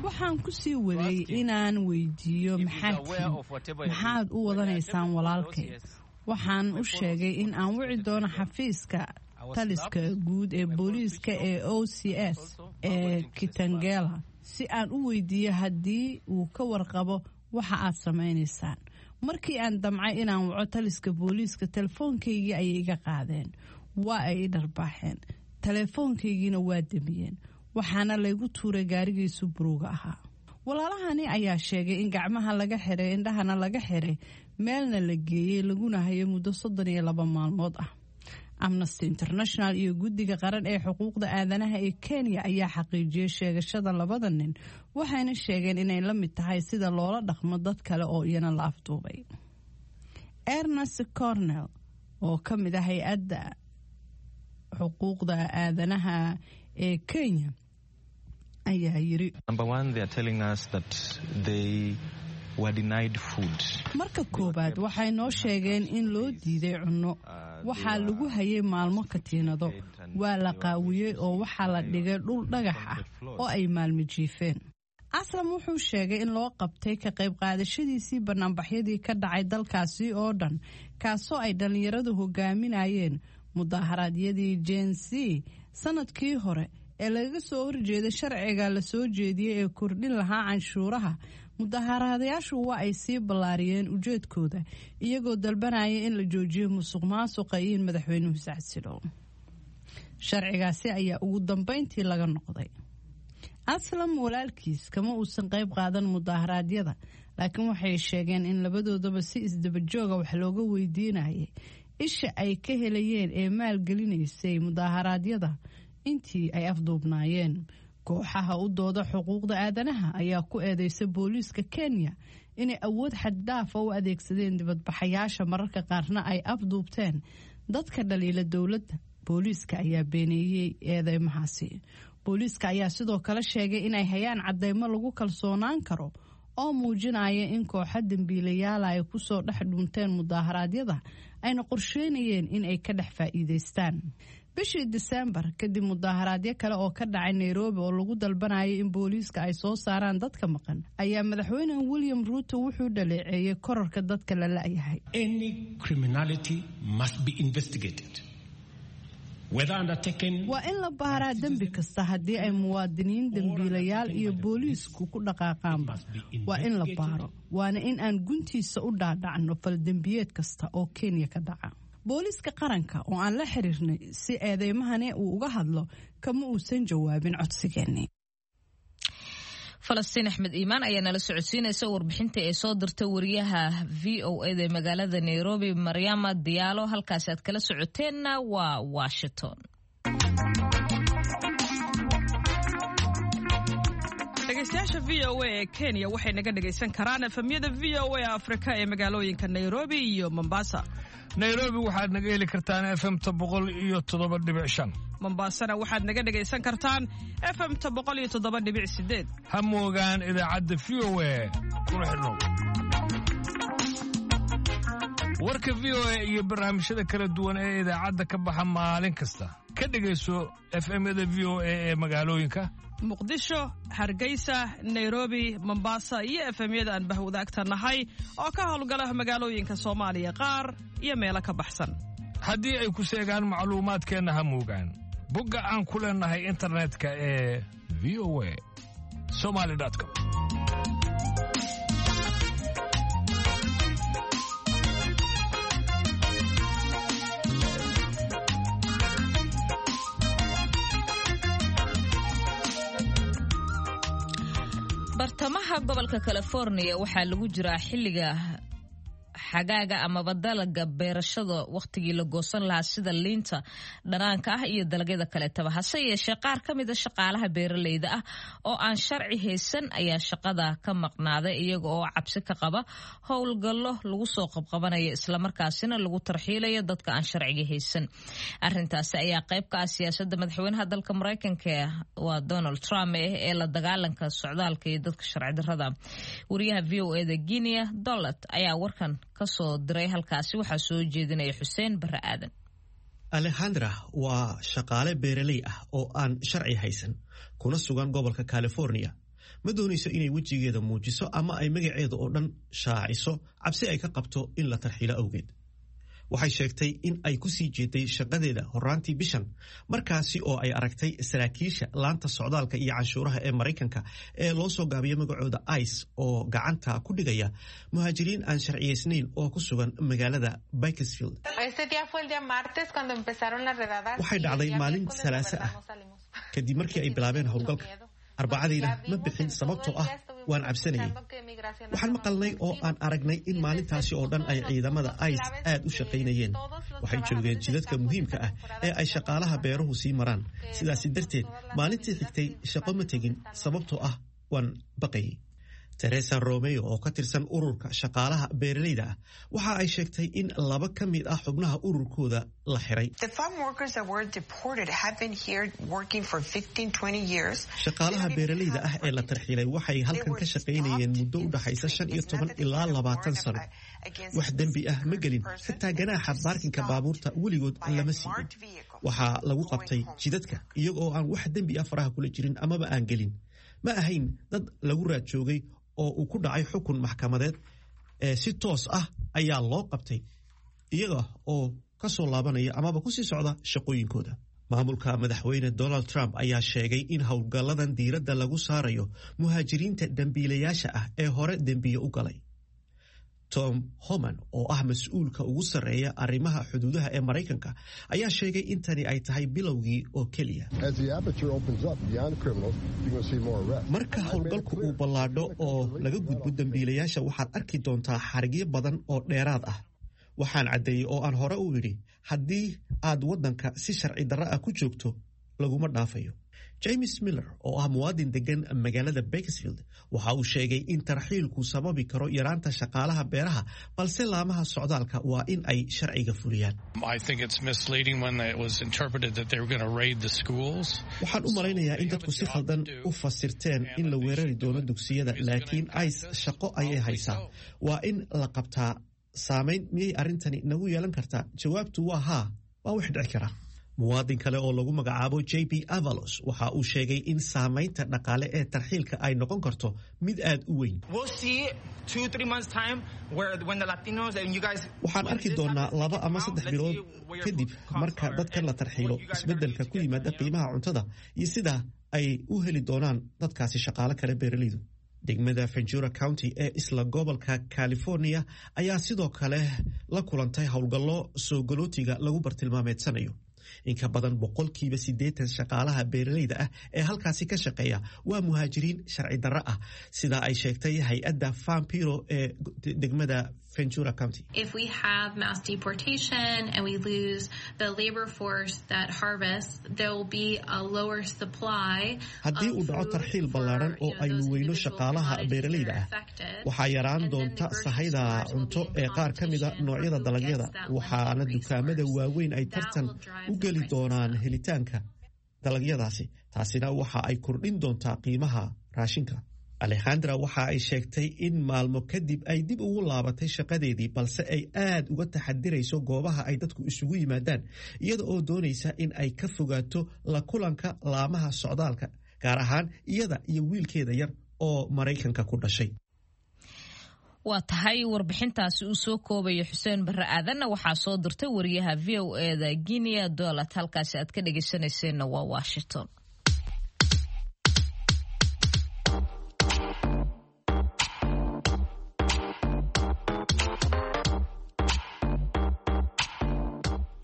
"Waxaan ku sii waday inaan weydiiyo, 'Maxaad tihiin? Maxaad u wadanaysaan walaalkay?' Waxaan u sheegay in aan wici doono xafiiska taliska guud ee booliiska ee O C S ee Kitengela si aan u weydiiyo haddii uu ka warqabo waxa aad samaynaysaan. Markii aan damcay inaan waco taliska booliiska, telefoonkaygii ayay iga qaadeen. Waa ay i dharbaaxeen, teleefoonkaygiina waa demiyeen, waxaana laygu tuuray gaarigii Subaruga ahaa." Walaalahani ayaa sheegay in gacmaha laga xiray, indhahana laga xiray, meelna la geeyey, laguna hayay muddo soddon iyo laba maalmood ah. Amnesty International iyo Guddiga Qaran ee Xuquuqda Aadanaha ee Kenya ayaa xaqiijiyey sheegashada labada nin, waxayna sheegeen inay la mid tahay sida loola dhaqmo dad kale oo iyana la afduubay. Ernest Cornell oo ka mid ah hay-adda xuquuqda aadanaha ee Kenya ayaa yiri: "Marka koowaad, waxay noo sheegeen in loo diiday cunno. Waxaa lagu hayay maalmo katiinado, waa la qaawiyey oo waxaa la dhigay dhul dhagax ah oo ay maalmo jiifeen." Aslam wuxuu sheegay in loo qabtay ka qayb qaadashadiisii banaanbaxyadii ka dhacay dalkaasi oo dhan, kaasoo ay dhallinyaradu hogaaminayeen mudaharaadyadii Gen Z sanadkii hore ee lagaga soo horjeeday sharciga la soo jeediyey ee kordhin lahaa canshuuraha. Mudaharaadayaashu waa ay sii ballaariyeen ujeedkooda, iyagoo dalbanaya in la joojiyo musuq maasuqa iyo in madaxweynuhu sacasilo. Sharcigaasi ayaa ugu dambeyntii laga noqday. Aslam walaalkiis kama uusan qayb qaadan mudaharaadyada, laakiin waxay sheegeen in labadoodaba si isdabajooga wax looga weydiinayay isha ay ka helayeen ee maalgelinaysay mudaharaadyada intii ay afduubnaayeen. Kooxaha u dooda xuquuqda aadanaha ayaa ku eedeysa booliiska Kenya inay awood xaddaafa u adeegsadeen dibadbaxayaasha, mararka qaarna ay afduubteen dadka dhaliila dowladda. Booliiska ayaa beeneeyey eedeymahaasi. Booliiska ayaa sidoo kale sheegay inay hayaan cadeymo lagu kalsoonaan karo oo muujinaya in kooxo dembiilayaala ay kusoo dhex dhunteen mudaharaadyada, ayna qorsheynayeen in ay ka dhex faa'iidaystaan. Bishii Disembar, kadib mudaharaadyo kale oo ka dhacay Nairobi oo lagu dalbanayay in booliiska ay soo saaraan dadka maqan, ayaa madaxweyne William Ruto wuxuu dhaleeceeyey korarka dadka la la'yahay. "Waa in la baaraa dembi kasta, haddii ay muwaadiniin dembiilayaal iyo booliisku ku dhaqaaqaanba waa in la baaro, waana in aan guntiisa u dhaadhacno faldembiyeed kasta oo Kenya ka dhaca." Booliiska qaranka oo aan la xiriirnay si eedeymahani uu uga hadlo kama uusan jawaabin codsigeennii. Falastiin Axmed Iimaan ayaa nala socodsiinaysa warbixinta ee soo dirtay wariyaha V O A da ee magaalada Nairobi, Maryama Diyaalo. Halkaasi aad kala socoteenna waa Washington. Dhegeystayaasha V O A ee Kenya waxay naga dhegaysan karaan efemyada V O A Afrika ee magaalooyinka Nairobi iyo Mombasa. Nairobi waxaad naga heli kartaan efemta boqol iyo toddoba dhibic shan. Mombasana waxaad naga dhegaysan kartaan efemta boqol iyo toddoba dhibic sideed. Ha moogaan idaacadda V O A, kuna xidhnow warka V O A iyo barnaamijyada kala duwan ee idaacadda ka baxa maalin kasta. Ka dhegayso F M-yada V O A ee magaalooyinka: Muqdisho, Hargeysa, Nairobi, Mombasa iyo F M-yada aan bahwadaagta nahay oo ka howlgala magaalooyinka Soomaaliya qaar iyo meelo ka baxsan. Haddii ay ku seegaan macluumaadkeenna, ha moogaan bogga aan ku leenahay internetka ee V O A Somali com. Bartamaha gobolka California waxaa lagu jiraa xilliga xagaaga amaba dalaga beerashada wakhtigii la goosan lahaa, sida liinta dhanaanka ah iyo dalagyada kaleetaba. Hase yeeshee, qaar ka mida shaqaalaha beeraleyda ah oo aan sharci haysan ayaa shaqada ka maqnaaday, iyaga oo cabsi ka qaba howlgallo lagu soo qabqabanaya, islamarkaasina lagu tarxiilayo dadka aan sharciga haysan. Arintaasi ayaa qayb ka ah siyaasada madaxweynaha dalka Mareykanka, waa Donald Trump, eh ee la dagaalanka socdaalka iyo dadka sharci darada. Wariyaha V O E da Guinea Dolat ayaa warkan kasoo diray halkaasi. Waxaa soo jeedinaya Xuseen Barre Aadan. Alexandra waa shaqaale beeraley ah oo aan sharci haysan, kuna sugan gobolka California. Ma doonayso inay wejigeeda muujiso ama ay magaceeda oo dhan shaaciso, cabsi ay ka qabto in la tarxiilo awgeed. Waxay sheegtay in ay ku sii jeeday shaqadeeda horaantii bishan, markaasi oo ay aragtay saraakiisha laanta socdaalka iyo canshuuraha ee Maraykanka ee loo soo gaabiyo magacooda ICE oo gacanta ku dhigaya muhaajiriin aan sharciyeysnayn oo ku sugan magaalada Bakersfield. Waxay dhacday maalin Salaase ah kadib markii ay bilaabeen howlgalka. Arbacadiina ma bixin, sababtoo ah waan cabsanayay. Waxaan maqalnay oo aan aragnay in maalintaasi oo dhan ay ciidamada ICE aad u shaqaynayeen. Waxay joogeen jidadka muhiimka ah ee ay shaqaalaha beeruhu sii maraan. Sidaasi darteed, maalintii xigtay shaqo ma tegin, sababtoo ah waan baqayay. Teresa Romeo oo ka tirsan ururka shaqaalaha beeraleyda ah waxa ay sheegtay in laba ka mid ah xubnaha ururkooda la xiray. Shaqaalaha beeraleyda ah ee la tarxiilay waxay halkan ka shaqaynayeen muddo u dhaxaysa shan iyo toban ilaa labaatan sano. Wax dembi ah ma gelin, xitaa ganaaxa baarkinka baabuurta weligood lama siinin. Waxaa lagu qabtay jidadka iyagoo aan wax dembi ah faraha kula jirin amaba aan gelin. Ma ahayn dad lagu raad joogay oo uu ku dhacay xukun maxkamadeed, ee si toos ah ayaa loo qabtay iyaga oo ka soo laabanaya amaba ku sii socda shaqooyinkooda. Maamulka madaxweyne Donald Trump ayaa sheegay in howlgalladan diiradda lagu saarayo muhaajiriinta dembiilayaasha ah ee hore dembiye u galay. Tom Homan oo ah mas-uulka ugu sarreeya arrimaha xuduudaha ee Maraykanka ayaa sheegay in tani ay tahay bilowgii oo keliya. Marka howlgalku uu ballaadho oo laga gudbo dembiilayaasha, waxaad arki doontaa xarigyo badan oo dheeraad ah. Waxaan caddeeyey oo aan hore u idhi, haddii aad waddanka si sharci darro ah ku joogto, laguma dhaafayo. James Miller oo ah muwaadin degan magaalada Bakersfield waxa uu sheegay in tarxiilku sababi karo yaraanta shaqaalaha beeraha, balse laamaha socdaalka waa in ay sharciga fuliyaan. Waxaan u malaynayaa in dadku si khaldan u fasirteen in la weerari doono dugsiyada, laakiin ICE shaqo ayay haysaa, waa in la qabtaa. Saamayn miyay arrintani nagu yeelan kartaa? Jawaabtu waa haa, waa wax dhici kara. Muwaadin kale oo lagu magacaabo J B Avalos waxa uu sheegay in saamaynta dhaqaale ee tarxiilka ay noqon karto mid aad u weyn. Waxaan arki doonaa laba ama saddex bilood kadib, marka dadkan la tarxiilo, isbeddelka ku yimaada qiimaha cuntada iyo sida ay u heli doonaan dadkaasi shaqaale kale beeraleydu. Degmada Ventura County ee isla gobolka California ayaa sidoo kale la kulantay howlgallo soo galootiga lagu bartilmaameedsanayo. In ka badan boqolkiiba siddeetan shaqaalaha beeraleyda ah ee halkaasi ka shaqeeya waa muhaajiriin sharci darro ah, sida ay sheegtay hay-adda Farm Bureau ee degmada Ventura County. If we have mass deportation and we lose the labor force that harvests, there will be a lower supply. Haddii uu dhaco tarxiil ballaaran oo aynu weyno shaqaalaha beeraleyda ah, waxaa yaraan doonta sahayda cunto ee qaar ka mida noocyada dalagyada, waxaana dukaamada waaweyn ay tartan u geli doonaan helitaanka dalagyadaasi. Taasina waxa ay kordhin doontaa qiimaha raashinka. Alexandra waxa ay sheegtay in maalmo kadib ay dib ugu laabatay shaqadeedii, balse ay aad uga taxadirayso goobaha ay dadku isugu yimaadaan, iyada oo doonaysa in ay ka fogaato la kulanka laamaha socdaalka, gaar ahaan iyada iyo wiilkeeda yar oo Maraykanka ku dhashay. Waa tahay, warbixintaasi uu soo koobayo Xuseen Barre Aadanna waxaa soo dirtay wariyaha V O eda Guinea Dolat. Halkaasi aad ka dhegeysanayseena waa Washington.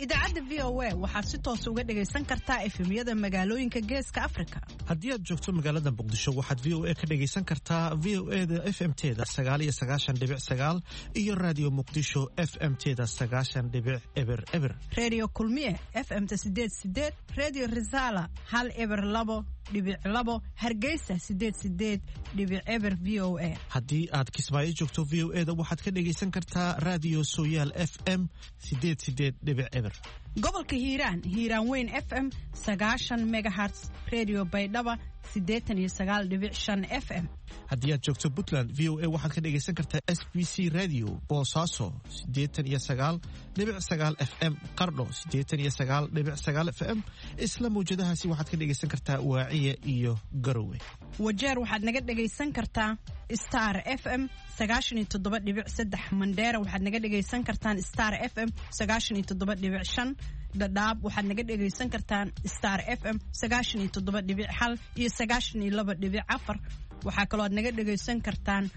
Idaacadda V O A waxaad si toos uga dhegaysan kartaa F M-yada magaalooyinka Geeska Afrika. Haddii aad joogto magaalada Muqdisho, waxaad V O A ka dhegaysan kartaa V O E da F M teda sagaal iyo sagaashan dhibic sagaal iyo Raadiyo Muqdisho F M teda sagaashan dhibic eber eber. Reediyo Kulmiye F M-ta sideed sideed, Reediyo Risaala hal eber labo dhibic labo, Hargeysa sideed sideed dhibic eber V O A. Haddii aad Kismaayo joogto, V O E da waxaad ka dhegaysan kartaa Raadiyo Sooyaal F M sideed sideed dhibic eber. Gobolka Hiiraan, Hiiraan Weyn F M sagaashan megahertz, Redio Baydhaba sideetan iyo sagaal dhibic shan F M. Haddii aad joogto Puntland, V O A waxaad ka dhegaysan kartaa S B C Radio Boosaaso sideetan iyo sagaal dhibic sagaal F M, Qardho sideetan iyo sagaal dhibic sagaal F M. Isla mawjadahaasi waxaad ka dhegaysan kartaa Waaciya iyo Garowe. Wajeer waxaad naga dhegaysan kartaa Star F M sagaashan iyo toddoba dhibic saddex. Mandheera waxaad naga dhegaysan kartaan Star F M sagaashan iyo toddoba dhibic shan. Dhadhaab waxaad naga dhegaysan kartaan Star F M sagaashan iyo toddoba dhibic hal iyo sagaashan iyo laba dhibic afar. Waxaa kaloo aad naga dhegaysan kartaan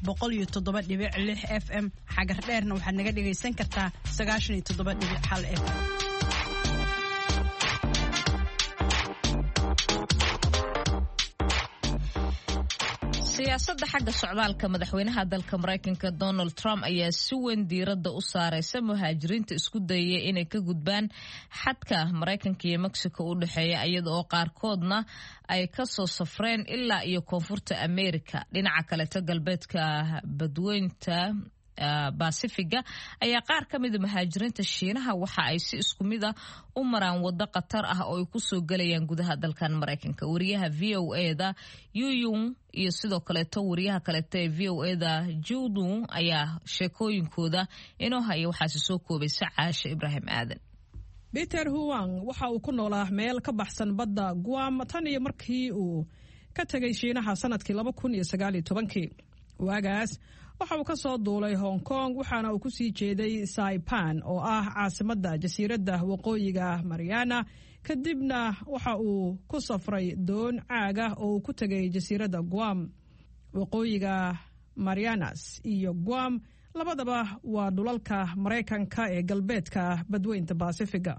boqol iyo toddoba dhibic lix F M. Xagar Dheerna waxaad naga dhegaysan kartaa sagaashan iyo toddoba dhibic hal F M. Siyaasadda xagga socdaalka madaxweynaha dalka Maraykanka Donald Trump ayaa si weyn diiradda u saareysa muhaajiriinta isku dayaya inay ka gudbaan xadka Maraykanka iyo Mexico u dhexeeya, iyada oo qaarkoodna ay kasoo safreen ilaa iyo Koonfurta America. Dhinaca kaleeto, galbeedka badweynta Basifiga ayaa qaar ka mida muhaajiriinta Shiinaha waxa ay si isku mid ah u maraan waddo khatar ah oo ay kusoo gelayaan gudaha dalkan Maraykanka. Wariyaha V O eda Yuyung iyo sidoo kaleeto wariyaha kaleeto ee V O eda Judun ayaa sheekooyinkooda inoo haya, waxaase soo koobaysa Caasha Ibraahim Aadan. Peter Huang waxa uu ku noolaa meel ka baxsan badda Guam tan iyo markii uu ka tegay Shiinaha sanadkii laba kun iyo sagaal iyo tobankii. Waagaas waxa uu ka soo duulay Hong Kong, waxaana uu ku sii jeeday Saipan oo ah caasimadda jasiiradda Waqooyiga Mariana. Kadibna waxa uu ku safray doon caag ah oo uu ku tegay jasiiradda Guam. Waqooyiga Marianas iyo Guam labadaba waa dhulalka Maraykanka ee galbeedka badweynta Basifiga.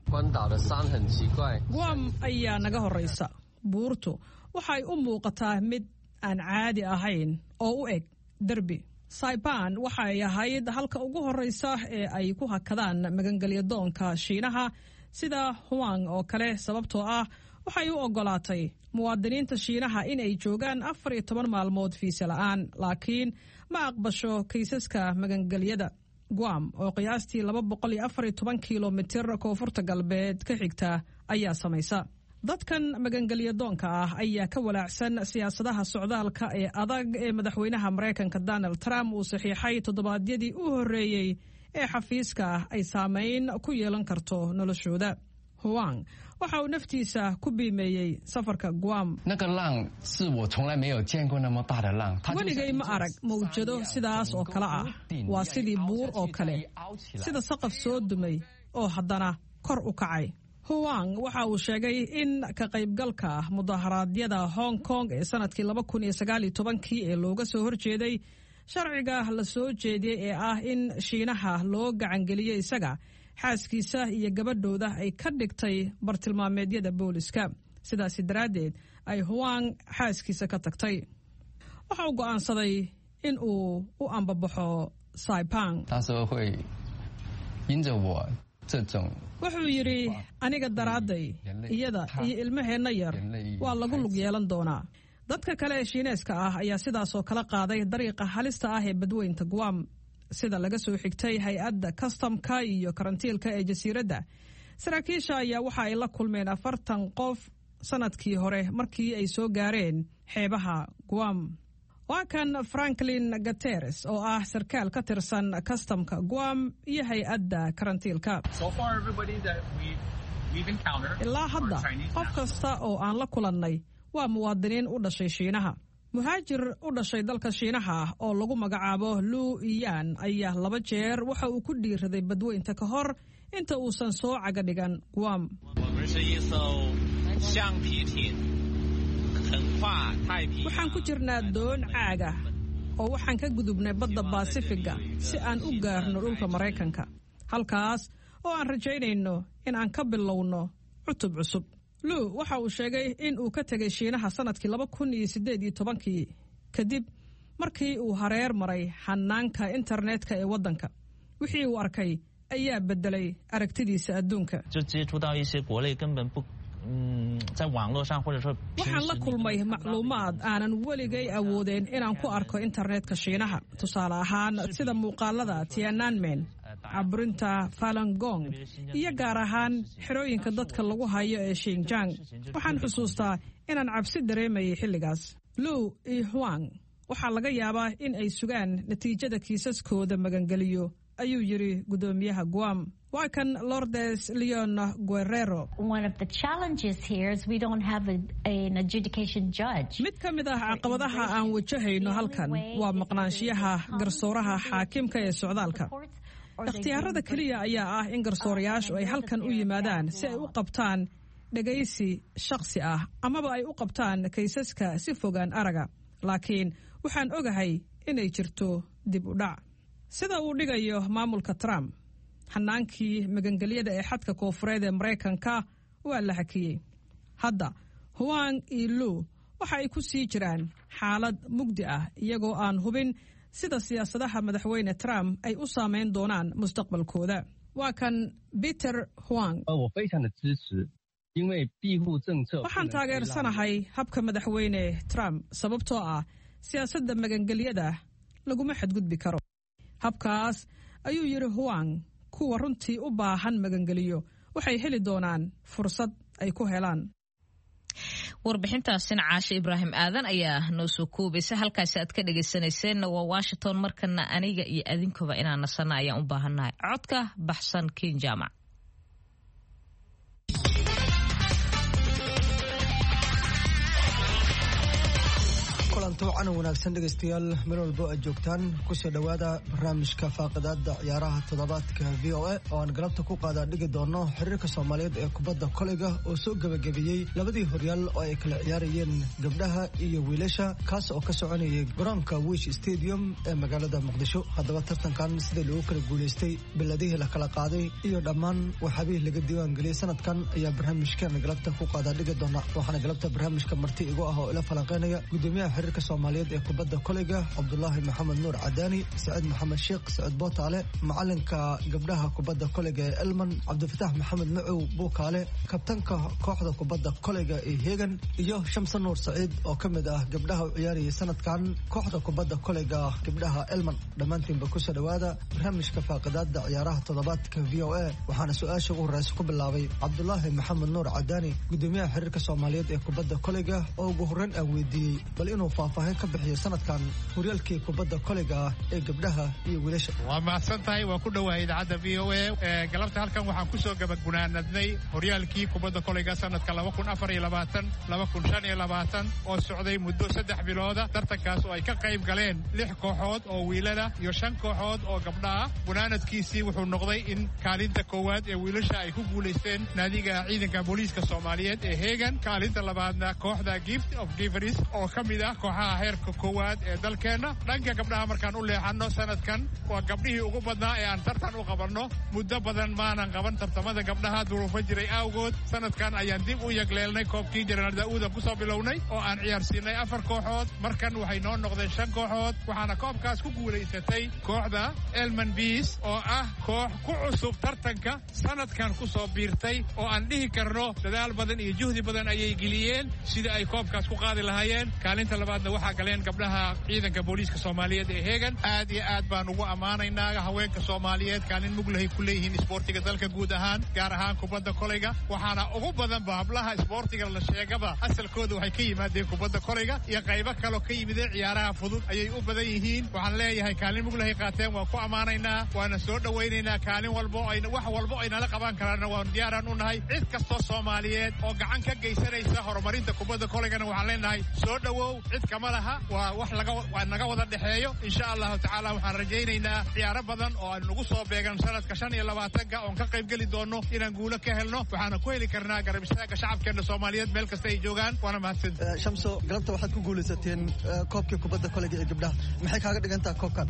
Guam ayaa naga horeysa. Buurtu waxay u muuqataa mid aan caadi ahayn oo u eg derbi. Saipan waxay ahayd halka ugu horeysa ee ay ku hakadaan magangelya doonka Shiinaha sida Huang oo kale, sababtoo ah waxay u ogolaatay muwaadiniinta Shiinaha inay joogaan afar iyo toban maalmood fiise la'aan, laakiin ma aqbasho kiisaska magangelyada. Guam oo qiyaastii laba boqol iyo afar iyo toban kilomitir koonfurta galbeed ka xigta ayaa samaysa. Dadkan magangelya doonka ah ayaa ka walaacsan siyaasadaha socdaalka ee adag ee madaxweynaha Maraykanka Donald Trump uu saxiixay toddobaadyadii u horreeyey ee xafiiska ay saameyn ku yeelan karto noloshooda. Huang waxa uu naftiisa ku biimeeyey safarka Guam. Weligay ma arag mawjado sidaas oo kale ah. Waa sidii buur oo kale, sida saqaf soo dumay oo haddana kor u kacay. Huang waxa uu sheegay in ka qaybgalka mudaharaadyada Hong Kong ee sanadkii laba kun iyo sagaal iyo tobankii ee looga soo horjeeday sharciga la soo jeediyey ee ah in Shiinaha loo gacangeliyey isaga, xaaskiisa iyo gabadhooda ay ka dhigtay bartilmaameedyada booliska, sidaasi daraaddeed ay Huang xaaskiisa ka tagtay. Waxa uu go'aansaday in uu u ambabaxo Saipan. Wuxuu yidhi, aniga daraadday, iyada iyo ilmaheenna yar waa lagu lug yeelan doonaa. Dadka kale ee Shiineeska ah ayaa sidaasoo kala qaaday dariiqa halista ah ee badweynta Guam. Sida laga soo xigtay hay-adda kastamka iyo karantiilka ee jasiiradda, saraakiisha ayaa waxa ay la kulmeen afartan qof sanadkii hore markii ay soo gaareen xeebaha Guam. Waa kan Franklin Gateres oo ah sarkaal ka tirsan kastamka Guam iyo hay-adda karantiilka. Ilaa hadda qof kasta oo aan la kulannay waa muwaadiniin u dhashay Shiinaha. Muhaajir u dhashay dalka Shiinaha ah oo lagu magacaabo Lu Iyan ayaa laba jeer waxa uu ku dhiiraday badweynta ka hor inta uusan soo caga dhigan Guam. Waxaan ku jirnaa doon caaga oo waxaan ka gudubnay badda Baasifiga si aan u gaarno dhulka Maraykanka, halkaas oo aan rajaynayno in aan ka bilowno cutub cusub. Lu waxa uu sheegay in uu ka tegay Shiinaha sanadkii laba kun iyo siddeed iyo tobankii kadib markii uu hareer maray xanaanka internetka ee waddanka. Wixii uu arkay ayaa beddelay aragtidiisa adduunka. Waxaan la kulmay macluumaad aanan weligay awoodeen inaan ku arko internetka Shiinaha, tusaale ahaan sida muuqaalada Tiananmen, caburinta Falangong iyo gaar ahaan xerooyinka dadka lagu hayo ee Xinjiang. Waxaan xusuustaa inaan cabsi dareemayay xilligaas. Lu iyo Huang waxaa laga yaabaa in ay sugaan natiijada kiisaskooda magangeliyo, ayuu yidhi guddoomiyaha Guam. Waa kan Lordes Leon Guerrero. Mid ka mid ah caqabadaha aan wajahayno halkan waa maqnaanshiyaha garsooraha xaakimka ee socdaalka. Ikhtiyaarada keliya ayaa ah in garsoorayaashu ay halkan u yimaadaan si ay u qabtaan dhegaysi shakhsi ah amaba ay u qabtaan kaysaska si fogaan araga, laakiin waxaan ogahay inay jirto dib u dhac. Sida uu dhigayo maamulka Trump, xanaankii magangelyada ee xadka koofureed ee Maraykanka waa la hakiyey. Hadda Huang iyo Lu waxa ay ku sii jiraan xaalad mugdi ah, iyagoo aan hubin sida siyaasadaha madaxweyne Trump ay u saameyn doonaan mustaqbalkooda. Waa kan Peter Huang. Waxaan taageersanahay habka madaxweyne Trump sababtoo ah siyaasadda magangelyada laguma xadgudbi karo. Habkaas, ayuu yidhi Huang, kuwa runtii u baahan magangeliyo waxay heli doonaan fursad ay ku helaan. Warbixintaasina Caashe Ibraahim Aadan ayaa noo soo koobaysa. Halkaasi aad ka dhegaysanayseena waa Washington. Markana aniga iyo adinkuba inaan nasana ayaan u baahannahay. Codka baxsan Ken Jaamac. Kulanti wacan wanaagsan dhegaystayaal, meel walbo aad joogtaan, kusoo dhowaada barnaamijka faaqidaada ciyaaraha toddobaadka V O A oo aan galabta ku qaadaa dhigi doono xiriirka Soomaaliyeed ee kubadda koleyga oo soo gebagabeeyey labadii horyaal oo ay kala ciyaarayeen gabdhaha iyo wiilasha, kaas oo ka soconayay garoonka Wish Stadium ee magaalada Muqdisho. Haddaba tartankan sida loogu kala guulaystay, beladihii la kala qaaday iyo dhammaan waxaabihii laga diiwaangeliyey sanadkan ayaa barnaamijkan galabta ku qaadaa dhigi doona. Waxaana galabta barnaamijka marti igu ah oo ila falanqeynaya gudoomiyaha xiriirka Soomaaliyeed ee kubadda koleyga Cabdulaahi Maxamed Nuur Cadaani, Saciid Maxamed Sheekh Saciid Bootaale, macalinka gabdhaha kubadda koleyga ee Elman Cabdifatax Maxamed Macow Buukaale, kabtanka kooxda kubadda koleyga ee Hegan, iyo Shamse Nuur Saciid oo ka mid ah gabdhaha u ciyaarayay sanadkan kooxda kubadda koleyga gabdhaha Elman. Dhammaantiinba kusoo dhowaada barnaamijka faaqidaada ciyaaraha toddobaadka V O A. Waxaana su-aasha ugu horeysa ku bilaabay Cabdulaahi Maxamed Nuur Cadaani, gudoomiyaha xiriirka Soomaaliyeed ee kubadda koleyga, oo ugu horreyn aan weydiiyey bal inuu faahfaahin ka bixiyo sanadkan horyaalkii kubadda koleyga ah ee gabdhaha iyo wiilasha. Waa mahadsan tahay, waa ku dhowahay idaacadda V O A. Galabta halkan waxaan kusoo gabaggunaanadnay horyaalkii kubadda koleyga sanadka laba kun afar iyo labaatan laba kun shan iyo labaatan oo socday muddo saddex bilooda. Tartankaas oo ay ka qayb galeen lix kooxood oo wiilala iyo shan kooxood oo gabdha ah. Gunaanadkiisii wuxuu noqday in kaalinta koowaad ee wiilasha ay ku guulaysteen naadiga ciidanka booliiska Soomaaliyeed ee Hegan, kaalinta labaadna kooxda Gift of Givers oo ka mid ah kooxaha heerka koowaad ee dalkeenna. Dhanka gabdhaha markaan u leexanno, sanadkan waa gabdhihii ugu badnaa ee aan tartan u qabanno. Muddo badan maanan qaban tartamada gabdhaha duruufo jiray awgood. Sanadkan ayaan dib u yagleelnay koobkii Jenaraal Daa'uudan kusoo bilownay oo aan ciyaarsiinay afar kooxood. Markan waxay noo noqdeen shan kooxood, waxaana koobkaas ku guulaysatay kooxda Elman Bees oo ah koox ku cusub tartanka sanadkan kusoo biirtay oo aan dhihi karno dadaal badan iyo juhdi badan ayay geliyeen sidii ay koobkaas ku qaadi lahaayeen. Kaalinta labaad labaadna waxaa galeen gabdhaha ciidanka booliiska soomaaliyeed ee Heegan. Aad iyo aad baan ugu ammaanaynaa haweenka soomaaliyeed kaalin muglahay ku leeyihiin isboortiga dalka guud ahaan, gaar ahaan kubadda kolayga. Waxaana ugu badanba hablaha isboortiga la sheegaba asalkooda waxay ka yimaadeen kubadda kolayga iyo qaybo kaloo ka yimideen ciyaaraha fudud ayay u badan yihiin. Waxaan leeyahay kaalin muglahay qaateen, waan ku ammaanaynaa, waana soo dhowaynaynaa. Kaalin walbo ay wax walbo ay nala qaban karaanna waan diyaaraan u nahay. Cid kastoo soomaaliyeed oo gacan ka geysanaysa horumarinta kubadda kolaygana waxaan leenahay soo dhowow, cid kama laha, waa wax laga waa naga wada dhexeeyo. Insha allahu tacaala waxaan rajaynaynaa ciyaaro badan oo aan nagu soo beegan sanadka shan iyo labaatanka oon ka qayb geli doono inaan guulo ka helno. Waxaana ku heli karnaa garab istaagga shacabkeena soomaaliyeed meel kasta ay joogaan. Waana mahadsan. Shamso, galabta waxaad ku guulaysateen koobkii kubadda kolayga ee gabdhaha, maxay kaaga dhigan tahay koobkan?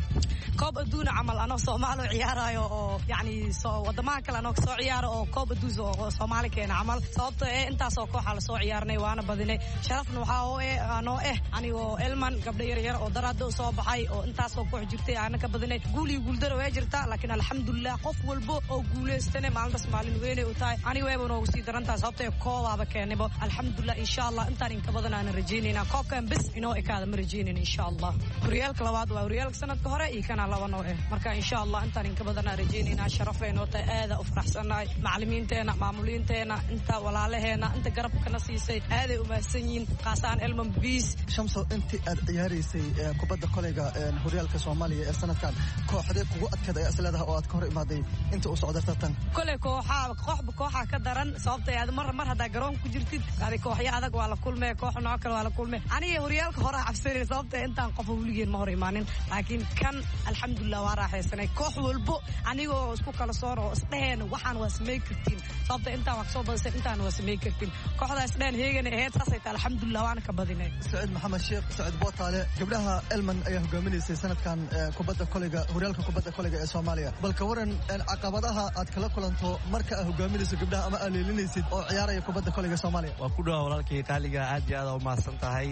Koob adduuna camal anoo Soomaali ciyaarayo oo yacni soo wadamaha kale anoo soo ciyaaro oo koob adduun oo Soomaali keena camal, sababtoo eh intaasoo kooxa la soo ciyaarnay waana badinay. Sharafna waxaa oo eh anoo eh anigoo Elman gabdho yar yar oo daraado soo baxay oo intaasoo koox jirtay aana ka badinay. Guul iyo guuldaro way jirtaa, laakiin alxamdulilah qof walbo oo guuleystana maalintaas maalin weynay u tahay. Aniga wayba noogu sii darantahay sababtoo eh koobaaba keenayba alxamdulilah. Insha allah intaan inka badan aanan rajaynayna, koobkan bes inoo ekaada ma rajaynayna insha allah. Horyaalka labaad waa horyaalka sanadka hore iyo kana laba noo eh, marka insha allah intaan inka badan aan rajaynaynaa. Sharafay noo tahay, aada u faraxsannahay. Macallimiinteena, maamuliinteena, inta walaalaheena, inta garabkana siisay aaday u mahadsan yihiin, qaasaan Elman Biis. Shamso, intii aad ciyaaraysay kubadda kolayga horyaalka Soomaaliya ee sanadkan, kooxdee kugu adkeed ayaa isleedahay oo aad ka hor imaaday inta uu socday tartan? Kole kooxaa kooxba kooxaa ka daran, sababtoo aad mar mar haddaa garoonka ku jirtid adi kooxyo adag waa la kulmee, koox nooc kale waa la kulmee. Aniga horyaalka hore cabsanay sababtoo intaan qof weligeen ma hor imaanin, laakiin kan alxamdulilah waa raaxaysanay. Koox walbo anigoo isku kala soor oo isdheheen waxaan waa samey kartiin, sababtoo intaan waa kasoo badisay, intaan waa samey kartiin. Kooxdaa isdheheen Heegana ahayd, saasay tahay alxamdulilah waana ka badinay. Saciid Maxamed Sheekh Saciid Bootaale, gabdhaha Elman ayaa hogaaminaysay sanadkan kubadda kolayga horyaalka kubadda kolayga ee Soomaaliya. Bal ka waran caqabadaha aad kala kulanto marka aad hogaaminayso gabdhaha ama aad leelinaysid oo ciyaaraya kubadda kolayga Soomaaliya? Waa ku dhawaa walaalkay qaaliga, aad iyo aad u mahadsan tahay.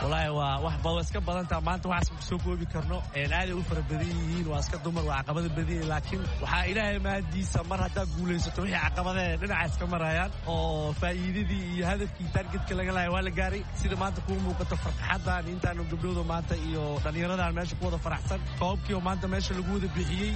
Walaahi waa wax ba iska badan tahay maanta, waxaas ma soo koobi karno. Aaday u fara badan yihiin, waa iska dumar, waa caqabada badan yihiin, laakiin waxaa ilaahay mahadiisa mar haddaa guulaysato wixii caqabadee dhinaca iska marayaan oo faa'iidadii iyo hadafkii taargetka laga lahay waa la gaaray. Sida maanta kuu muuqato farxaddan intaanu gabdhooda maanta iyo dhallinyaradan meesha ku wada faraxsan, koobkii oo maanta meesha lagu wada bixiyey,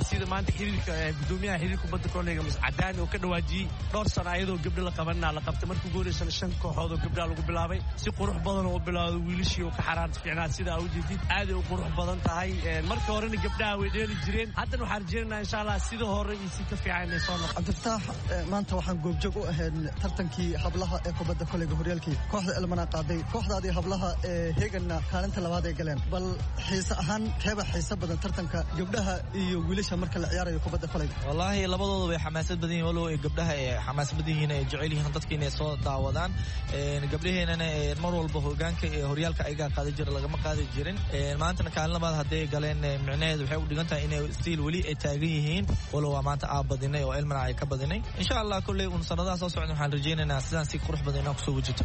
sida maanta xiriirka gudoomiyaha xiriirka kubadda koleyga Mas Cadaani oo ka dhawaajiyey dhowr sano ayadoo gabdho la qabanina la qabtay. Markii ugu horeysana shan kooxood oo gabdhaha lagu bilaabay, si qurux badan oo bilaawday wiilashii oo ka xaraarta fiicnaa sida aa ujeedid aaday u qurux badan tahay. Marka horena gabdhaha way dheeli jireen, haddana waxaan rajeynaynaa insha allah sida hore iyo si ka fiican inay soo noqon. Cabdifataax, maanta waxaan goobjoog u ahayn tartankii hablaha ee kubadda koleyga horyaalkii kooxda Elmana qaaday, kooxdaadii hablaha ee Heeganna kaalinta labaad ay galeen. Bal xiise ahaan keeba xiise badan tartanka gabdhaha iyo wiilasha marka la ciyaarayo kubadda koleyga? Wallaahi labadooda way xamaasad badan yihiin, walow ay gabdhaha ay xamaasad badan yihiin ay jecel yihiin dadka inay soo daawadaan. Gabdhaheenana mar walba hogaanka ee horyaalka ayagaa qaadi jira, lagama qaadi jirin. Maantana kaalin labaad hadday galeen micnaheedu waxay u dhigan tahay inay stiil weli ay taagan yihiin, walow waa maanta aa badinay oo Elmana ay ka badinay. Insha allah kolley uun sanadaha soo socda waxaan rajaynaynaa sidaan si qurux badan inaan kusoo wajahto.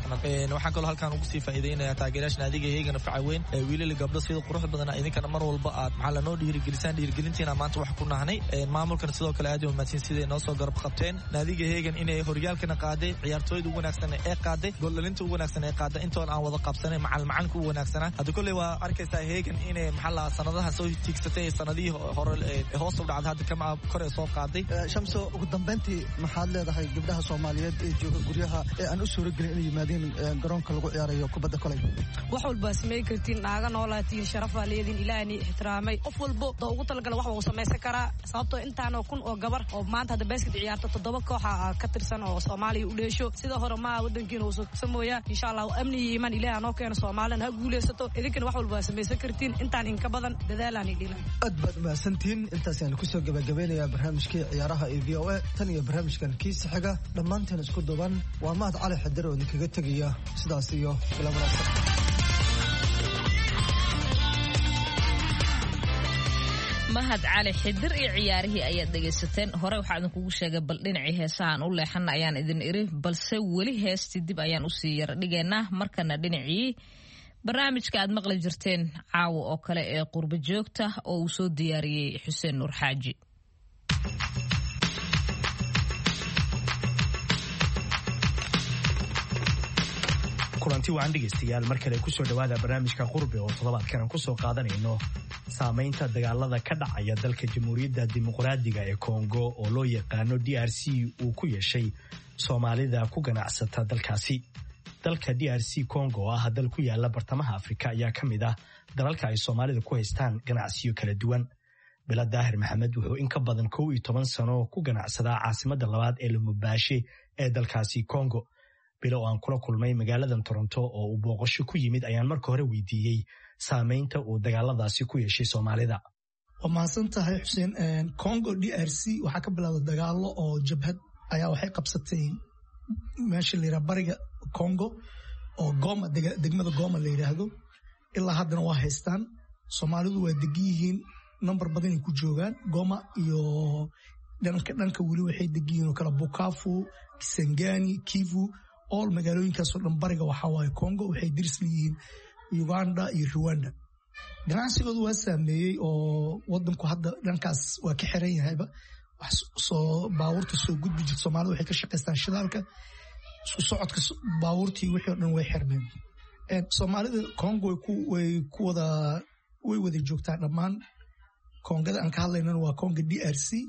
Waxaan kaloo halkaan ugu sii faa'iidaynayaa taageerayaasha naadiga Heegana faca weyn, wiilal gabdho sida qurux badan idinkana mar walba aad maxaa lanoo dhiirigelisaan, dhiirigelintiina maanta wax ku nahnay. Maamulkana sidoo kale aad u mahadsan siday noo soo garab qabteen naadiga Heegan inay horyaalkana qaaday, ciyaartooyda ugu wanaagsan ee qaaday, gooldhalinta ugu wanaagsan ee qaaday, intoon aan wada qabsanay macal macalinka ugu wanaagsanaa. Hadda kolley waa arkaysaa Heegan inay maxaa la sanadaha soo tiigsatay, sanadihii hore hoos u dhacday hadda kama kor ee soo qaaday. Shamso, ugu dambeyntii maxaad leedahay gabdhaha Soomaaliyeed ee jooga guryaha ee aan u suuragelin inay yimaadeen garoonka lagu ciyaarayo kubadda kolayga? Wax walba samey kartiin, naaga noolaatiin, sharafaa leediin, ilaahni ixtiraamay. Qof walbo doo ugu talagala wax wuu samaysan karaa, sababtoo intaanoo kun oo gabar oo maanta hadda basket ciyaarto toddoba kooxa ka tirsan oo Soomaaliya u dheesho. Sida hore maa wadankiina uu samooyaa insha allah. Amni iyo iimaan ilaah noo keeno, Soomaalina ha guulaysato. Idinkana wax walba waa samaysan kartiin, intaan inka badan dadaalaan idhilan. Aad baad umahadsantihiin, intaas ayaan kusoo gabagabeynayaa barnaamijkii ciyaaraha ee V O A. Tan iyo barnaamijkan kiisa xiga dhammaanteen isku duuban waa Mahad Cali Xadir oo idinkaga tegaya sidaas iyo ila wanaagsan. Mahad Cali Xidir iyo ciyaarihii ayaad dhegaysateen. Hore waxaa idinkugu sheegay bal dhinacii heesahaan u leexana ayaan idin iri, balse weli heestii dib ayaan usii yara dhigaynaa. Markana dhinacii barnaamijka aad maqli jirteen caawa oo kale ee qurbo joogta oo uu soo diyaariyey Xuseen Nuur Xaaji. Kulanti wacan dhegaystayaal, mar kale kusoo dhowaada barnaamijka Qurbe oo toddobaadkan aan kusoo qaadanayno saamaynta dagaalada ka dhacaya dalka Jamhuuriyadda Dimuqraadiga ee Kongo oo loo yaqaano D R C uu ku yeeshay Soomaalida ku ganacsata dalkaasi. Dalka D R C Congo oo ah dal ku yaala bartamaha Afrika ayaa ka mid ah dalalka ay Soomaalida ku haystaan ganacsiyo kala duwan. Bila Daahir Maxamed wuxuu in ka badan kow iyo toban sano ku ganacsadaa caasimadda labaad ee Lubumbashi ee dalkaasi Congo. Bilo oo aan kula kulmay magaaladan Toronto oo uu booqasho ku yimid ayaan marka hore weydiiyey saamaynta uu dagaaladaasi ku yeeshay Soomaalida. Waa mahadsan tahay, Xuseen. Congo D R C waxaa ka bilowday dagaalo oo jabhad ayaa waxay qabsatay meesha la yidhaha bariga Congo oo Goma, degmada Goma la yidhaahdo. Ilaa haddana waa haystaan. Soomaalidu waa degan yihiin, nambar badanay ku joogaan Goma iyo dhanka dhanka weli waxay degan yihiin oo kale Bukavu, Kisangani, Kivu, all magaalooyinkaasoo dhan bariga waxaa waaye Congo. Waxay diris leeyihiin Uganda iyo Rwanda. Ganacsigoodu waa saameeyey oo wadanku hadda dhankaas waa ka xiran yahayba. Wax soo baabuurta soo gudbi jirta, Soomaalida waxay ka shaqaystaan shidaalka, isku socodka baabuurtii wixii oo dhan way xirmeen. Soomaalida Congo way ku wada way wada joogtaa dhammaan. Koongada aan ka hadlaynana waa Congo D R C,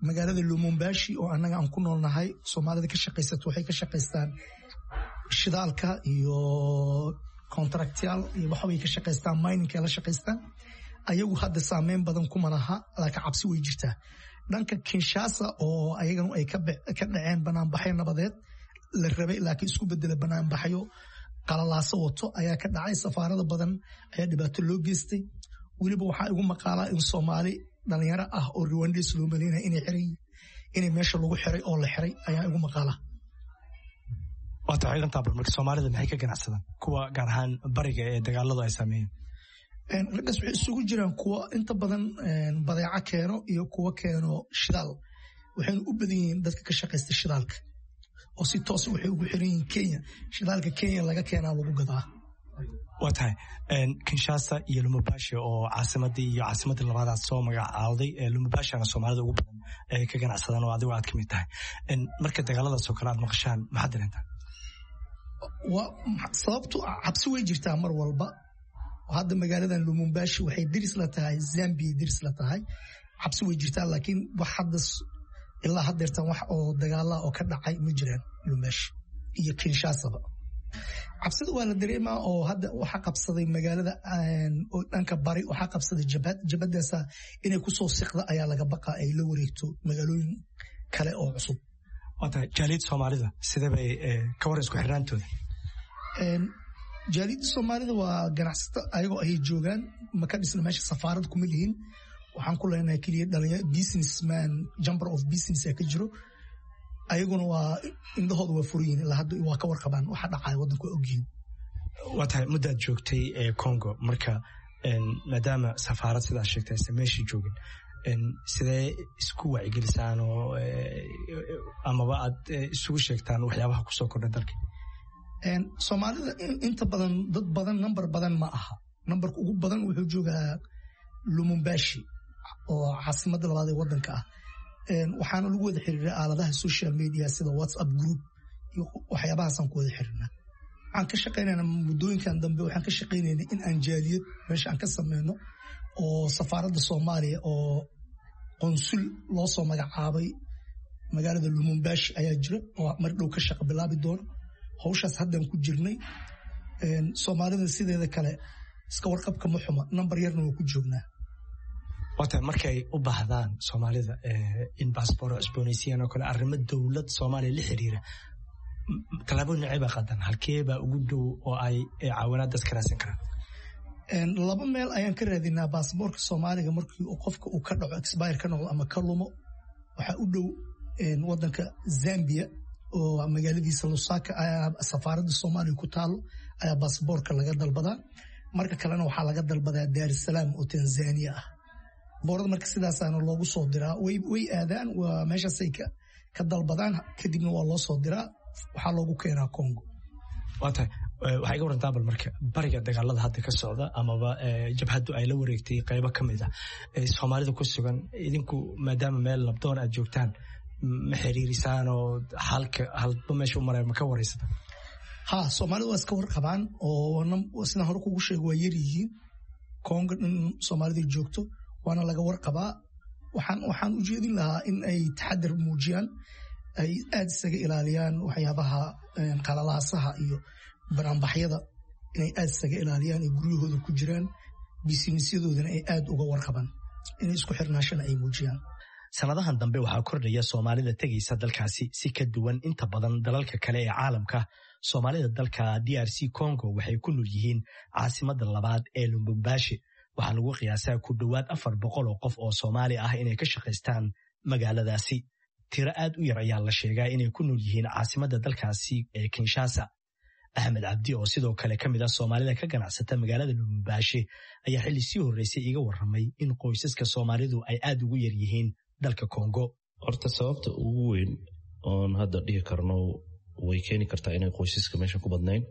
magaalada Lumumbashi oo annaga aan ku noolnahay. Soomaalida ka shaqaysato waxay ka shaqaystaan shidaalka iyo contractyaal iyo waxbay ka shaqaystaan, miningka la shaqaystaan. Ayagu hadda saameyn badan kuma laha, laakiin cabsi way jirtaa. Dhanka Kinshasa oo ayaganu ay ka dhaceen banaanbaxyo nabadeed la rabay laakiin isku bedela banaanbaxyo qalalaaso wato ayaa ka dhacay. Safaarada badan ayaa dhibaato loo geystay. Weliba waxaa igu maqaalaa in Soomaali dhalinyaro ah oo Rwandese loo maleynaya inay xiran, inay meesha lagu xiray oo la xiray ayaa igu maqaala. Waa tahay ciidantaa bal marka Soomaalida maxay ka ganacsadaan kuwa gaar ahaan bariga ee dagaaladu ay saameeyeen? Raggaas waxay isugu jiraan kuwa inta badan badeeco keeno iyo kuwa keeno shidaal. Waxayna u badan yihiin dadka ka shaqaysta shidaalka oo si toos waxay ugu xiran yihiin Kenya. Shidaalka Kenya laga keenaa lagu gadaa. Waa tahay Kinshasa iyo Lumumbashi oo caasimadii iyo caasimadii labaadaad soo magacaawday, Lumumbashina Soomaalida ugu badan ay ka ganacsadaan oo adigo aad ka mid tahay. Marka dagaaladaas oo kale aad maqashaan maxaad dareentaa? Sababtu cabsi way jirtaa mar walba. Hadda magaaladan Lumumbashi waxay diris la tahay Zambia, diris la tahay. Cabsi way jirtaa, laakiin wax hadda ilaa haddeertan wax oo dagaala oo ka dhacay ma jiraan Lumumbashi iyo Kinshasaba. Cabsida waa la dareemaa oo hadda waxaa qabsaday magaalada oo dhanka bari waxaa qabsaday jabhad. Jabhadaasa inay kusoo siqda ayaa laga baqaa, ay la wareegto magaalooyin kale oo cusub. Waa tahay jaaliyadda Soomaalida sidee bay ka waran isku xirnaantooda? Jaaliyadda Soomaalida waa ganacsato ayagoo ay joogaan, ma ka dhisna meesha, safaarad kuma lihin. Waxaan ku leenahay keliya dhalinyaro businessman, chamber of business ka jiro. Ayaguna waa indhahooda waa furan yihiin, ilaa hadda waa ka warqabaan waxa dhacaya waddanku, waa ogyihiin. Waa tahay muddaad joogtay ee Congo, marka maadaama safaarad sidaad sheegtay aysan meesha joogin, sidee isku wacyigelisaan oo amaba aad isugu sheegtaan waxyaabaha kusoo kordha dalka? Soomaalida inta badan dad badan nambar badan ma aha. Nambarka ugu badan wuxuu joogaa Lumumbashi oo caasimadda labaad ee waddanka ah. Waxaana lagu wada xiriiraa aaladaha social media sida WhatsApp group iyo waxyaabahaasaan ku wada xiriirnaa. Waxaan ka shaqaynaynaa muddooyinkan dambe, waxaan ka shaqaynaynaa in aan jaaliyad meesha aan ka sameyno oo safaaradda Soomaaliya oo qonsul loo soo magacaabay magaalada Lumumbashi ayaa jira oo mar dhow ka shaqa bilaabi doono. Hawshaas haddaan ku jirnay. Soomaalida sideeda kale iska warqabka ma xuma, nambar yarna waa ku joognaa. Waa tahay markay u baahdaan Soomaalida in baasboor cusboonaysiiyaan oo kale arrimo dowlad Soomaaliya la xiriira, tallaabo noocee baa qaadan? Halkee baa ugu dhow oo ay caawinaad dadka raadsan karaan? Laba meel ayaan ka raadinaa baasboorka Soomaaliga markii uu qofka uu ka dhaco, expire ka noqdo ama ka lumo. Waxaa u dhow wadanka Zambia oo magaaladiisa Lusaka safaaradda Soomaaliya ku taalo ayaa baasboorka laga dalbadaa. Marka kalena waxaa laga dalbadaa Dar es Salaam oo Tanzania ah. Boorada marka sidaasaana loogu soo diraa, way aadaan, waa meeshaasay ka dalbadaan, kadibna waa loo soo diraa, waxaa loogu keenaa Congo. Waa tahay waxaa iga warantaa bal marka bariga dagaalada hadda ka socda amaba jabhaddu ay la wareegtay qaybo ka mid ah Soomaalida ku sugan, idinku maadaama meel nabdoon aad joogtaan ma xiriirisaan oo halka halba meesha u maraya ma ka wareysata? Ha, soomaalida waa iska warqabaan oo sidaan hore kugu sheego waa yaryihiin Kongo dhan soomaalida joogto, waana laga warqabaa. Waxaan waxaan u jeedin lahaa in ay taxadar muujiyaan, ay aad isaga ilaaliyaan waxyaabaha qalalaasaha iyo banaanbaxyada, inay aad isaga ilaaliyaan, ay guryahooda ku jiraan, bisinisyadoodana ay aad uga warqabaan, inay isku xirnaashana ay muujiyaan. Sanadahan dambe waxaa kordhaya soomaalida tegaysa dalkaasi si ka duwan inta badan dalalka kale ee caalamka. Soomaalida dalka D R C Congo waxay ku nool yihiin caasimada labaad ee Lubumbashi. Waxaa lagu qiyaasaa ku dhowaad afar boqol oo qof oo Soomaali ah inay ka shaqaystaan magaaladaasi. Tiro aad u yar ayaa la sheegaa inay ku nool yihiin caasimada dalkaasi ee Kinshasa. Axmed Cabdi oo sidoo kale ka mid ah soomaalida ka ganacsata magaalada Lubumbashi ayaa xilli sii horreysay iga warramay in qoysaska soomaalidu ay aad ugu yar yihiin dalka Kongo. Horta sababta ugu weyn oon hadda dhihi karno way keeni kartaa inay qoysaska meesha ku badnayn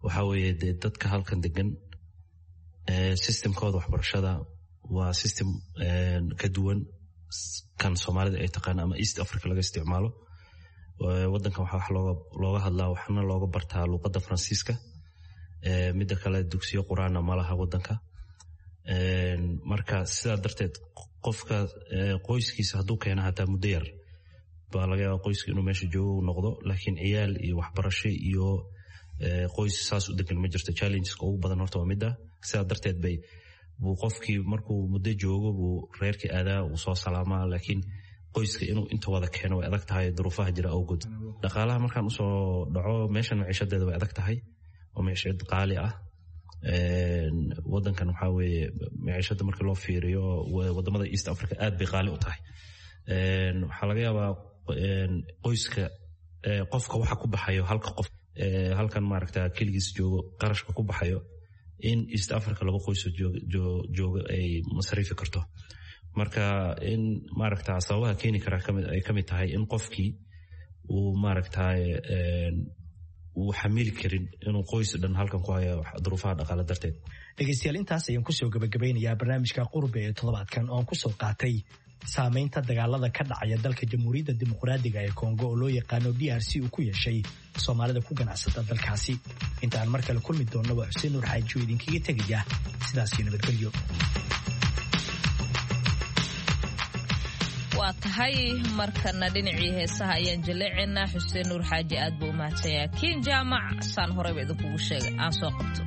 waxaa weeye dee dadka halkan degan systemkooda waxbarashada waa system ka duwan kan soomaalida ay taqaan ama East Africa laga isticmaalo. Wadankan waxaa wax looga looga hadlaa waxna looga bartaa luuqadda Faransiiska. Midda kale dugsiyo qur-aana ma laha wadanka. Marka sidaa darteed qofka qoyskiisa hadduu keena hataa muddo yar baa laga yaaba qoyska inuu meesha joogo noqdo, laakiin ciyaal iyo waxbarasho iyo qoys saas u degan ma jirto. Challengeska ugu badan horta waa midda. Sidaa darteed bay buu qofkii markuu muddo joogo buu reerkii aadaa, uu soo salaamaa, laakiin qoyska inuu inta wada keeno way adag tahay duruufaha jira awgood. Dhaqaalaha markaan usoo dhaco, meeshan maciishadeeda way adag tahay oo maciishad qaali ah. Wadankan waxaa weeye maciishada marka loo fiiriyo wadamada East Africa aad bay qaali u tahay. Waxaa laga yaabaa qoyska qofka waxa ku baxayo halka qof halkan maaragta keligiis joogo qarashka ku baxayo in East Africa laba qoysoo joogo ay masariifi karto. Marka in maaragta sababaha keeni kara ay kamid tahay in qofkii uu maaragta uu xamili karin inuu qoys dhan halkan ku hayo duruufaha dhaqaale darteed. Dhegeystayaal, intaas ayaan kusoo gabagabeynayaa barnaamijka Qurbe ee toddobaadkan oo aan kusoo qaatay saamaynta dagaalada ka dhacaya dalka Jamhuuriyadda Dimuqraadiga ee Kongo oo loo yaqaano D R C uu ku yeeshay soomaalida ku ganacsata dalkaasi. Inta aan mar kale kulmi doonno waa Xuseen Nuur Xaaji oo idinkaga tegaya sidaas iyo nabadgelyo. Waa tahay, markana dhinacii heesaha ayaan jaleecaynaa. Xuseen Nuur Xaaji aad buu u mahadsanyahay. Kiin Jaamac saan horeyba idinkugu sheegay aan soo qabto.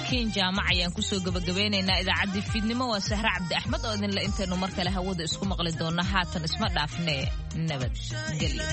Kiin Jaamac ayaan kusoo gabagabeynaynaa idaacaddii fiidnimo. Waa Sahre Cabdi Axmed oo idinle intaynu mar kale hawada isku maqli doonno haatan isma dhaafnee nabadgelyo.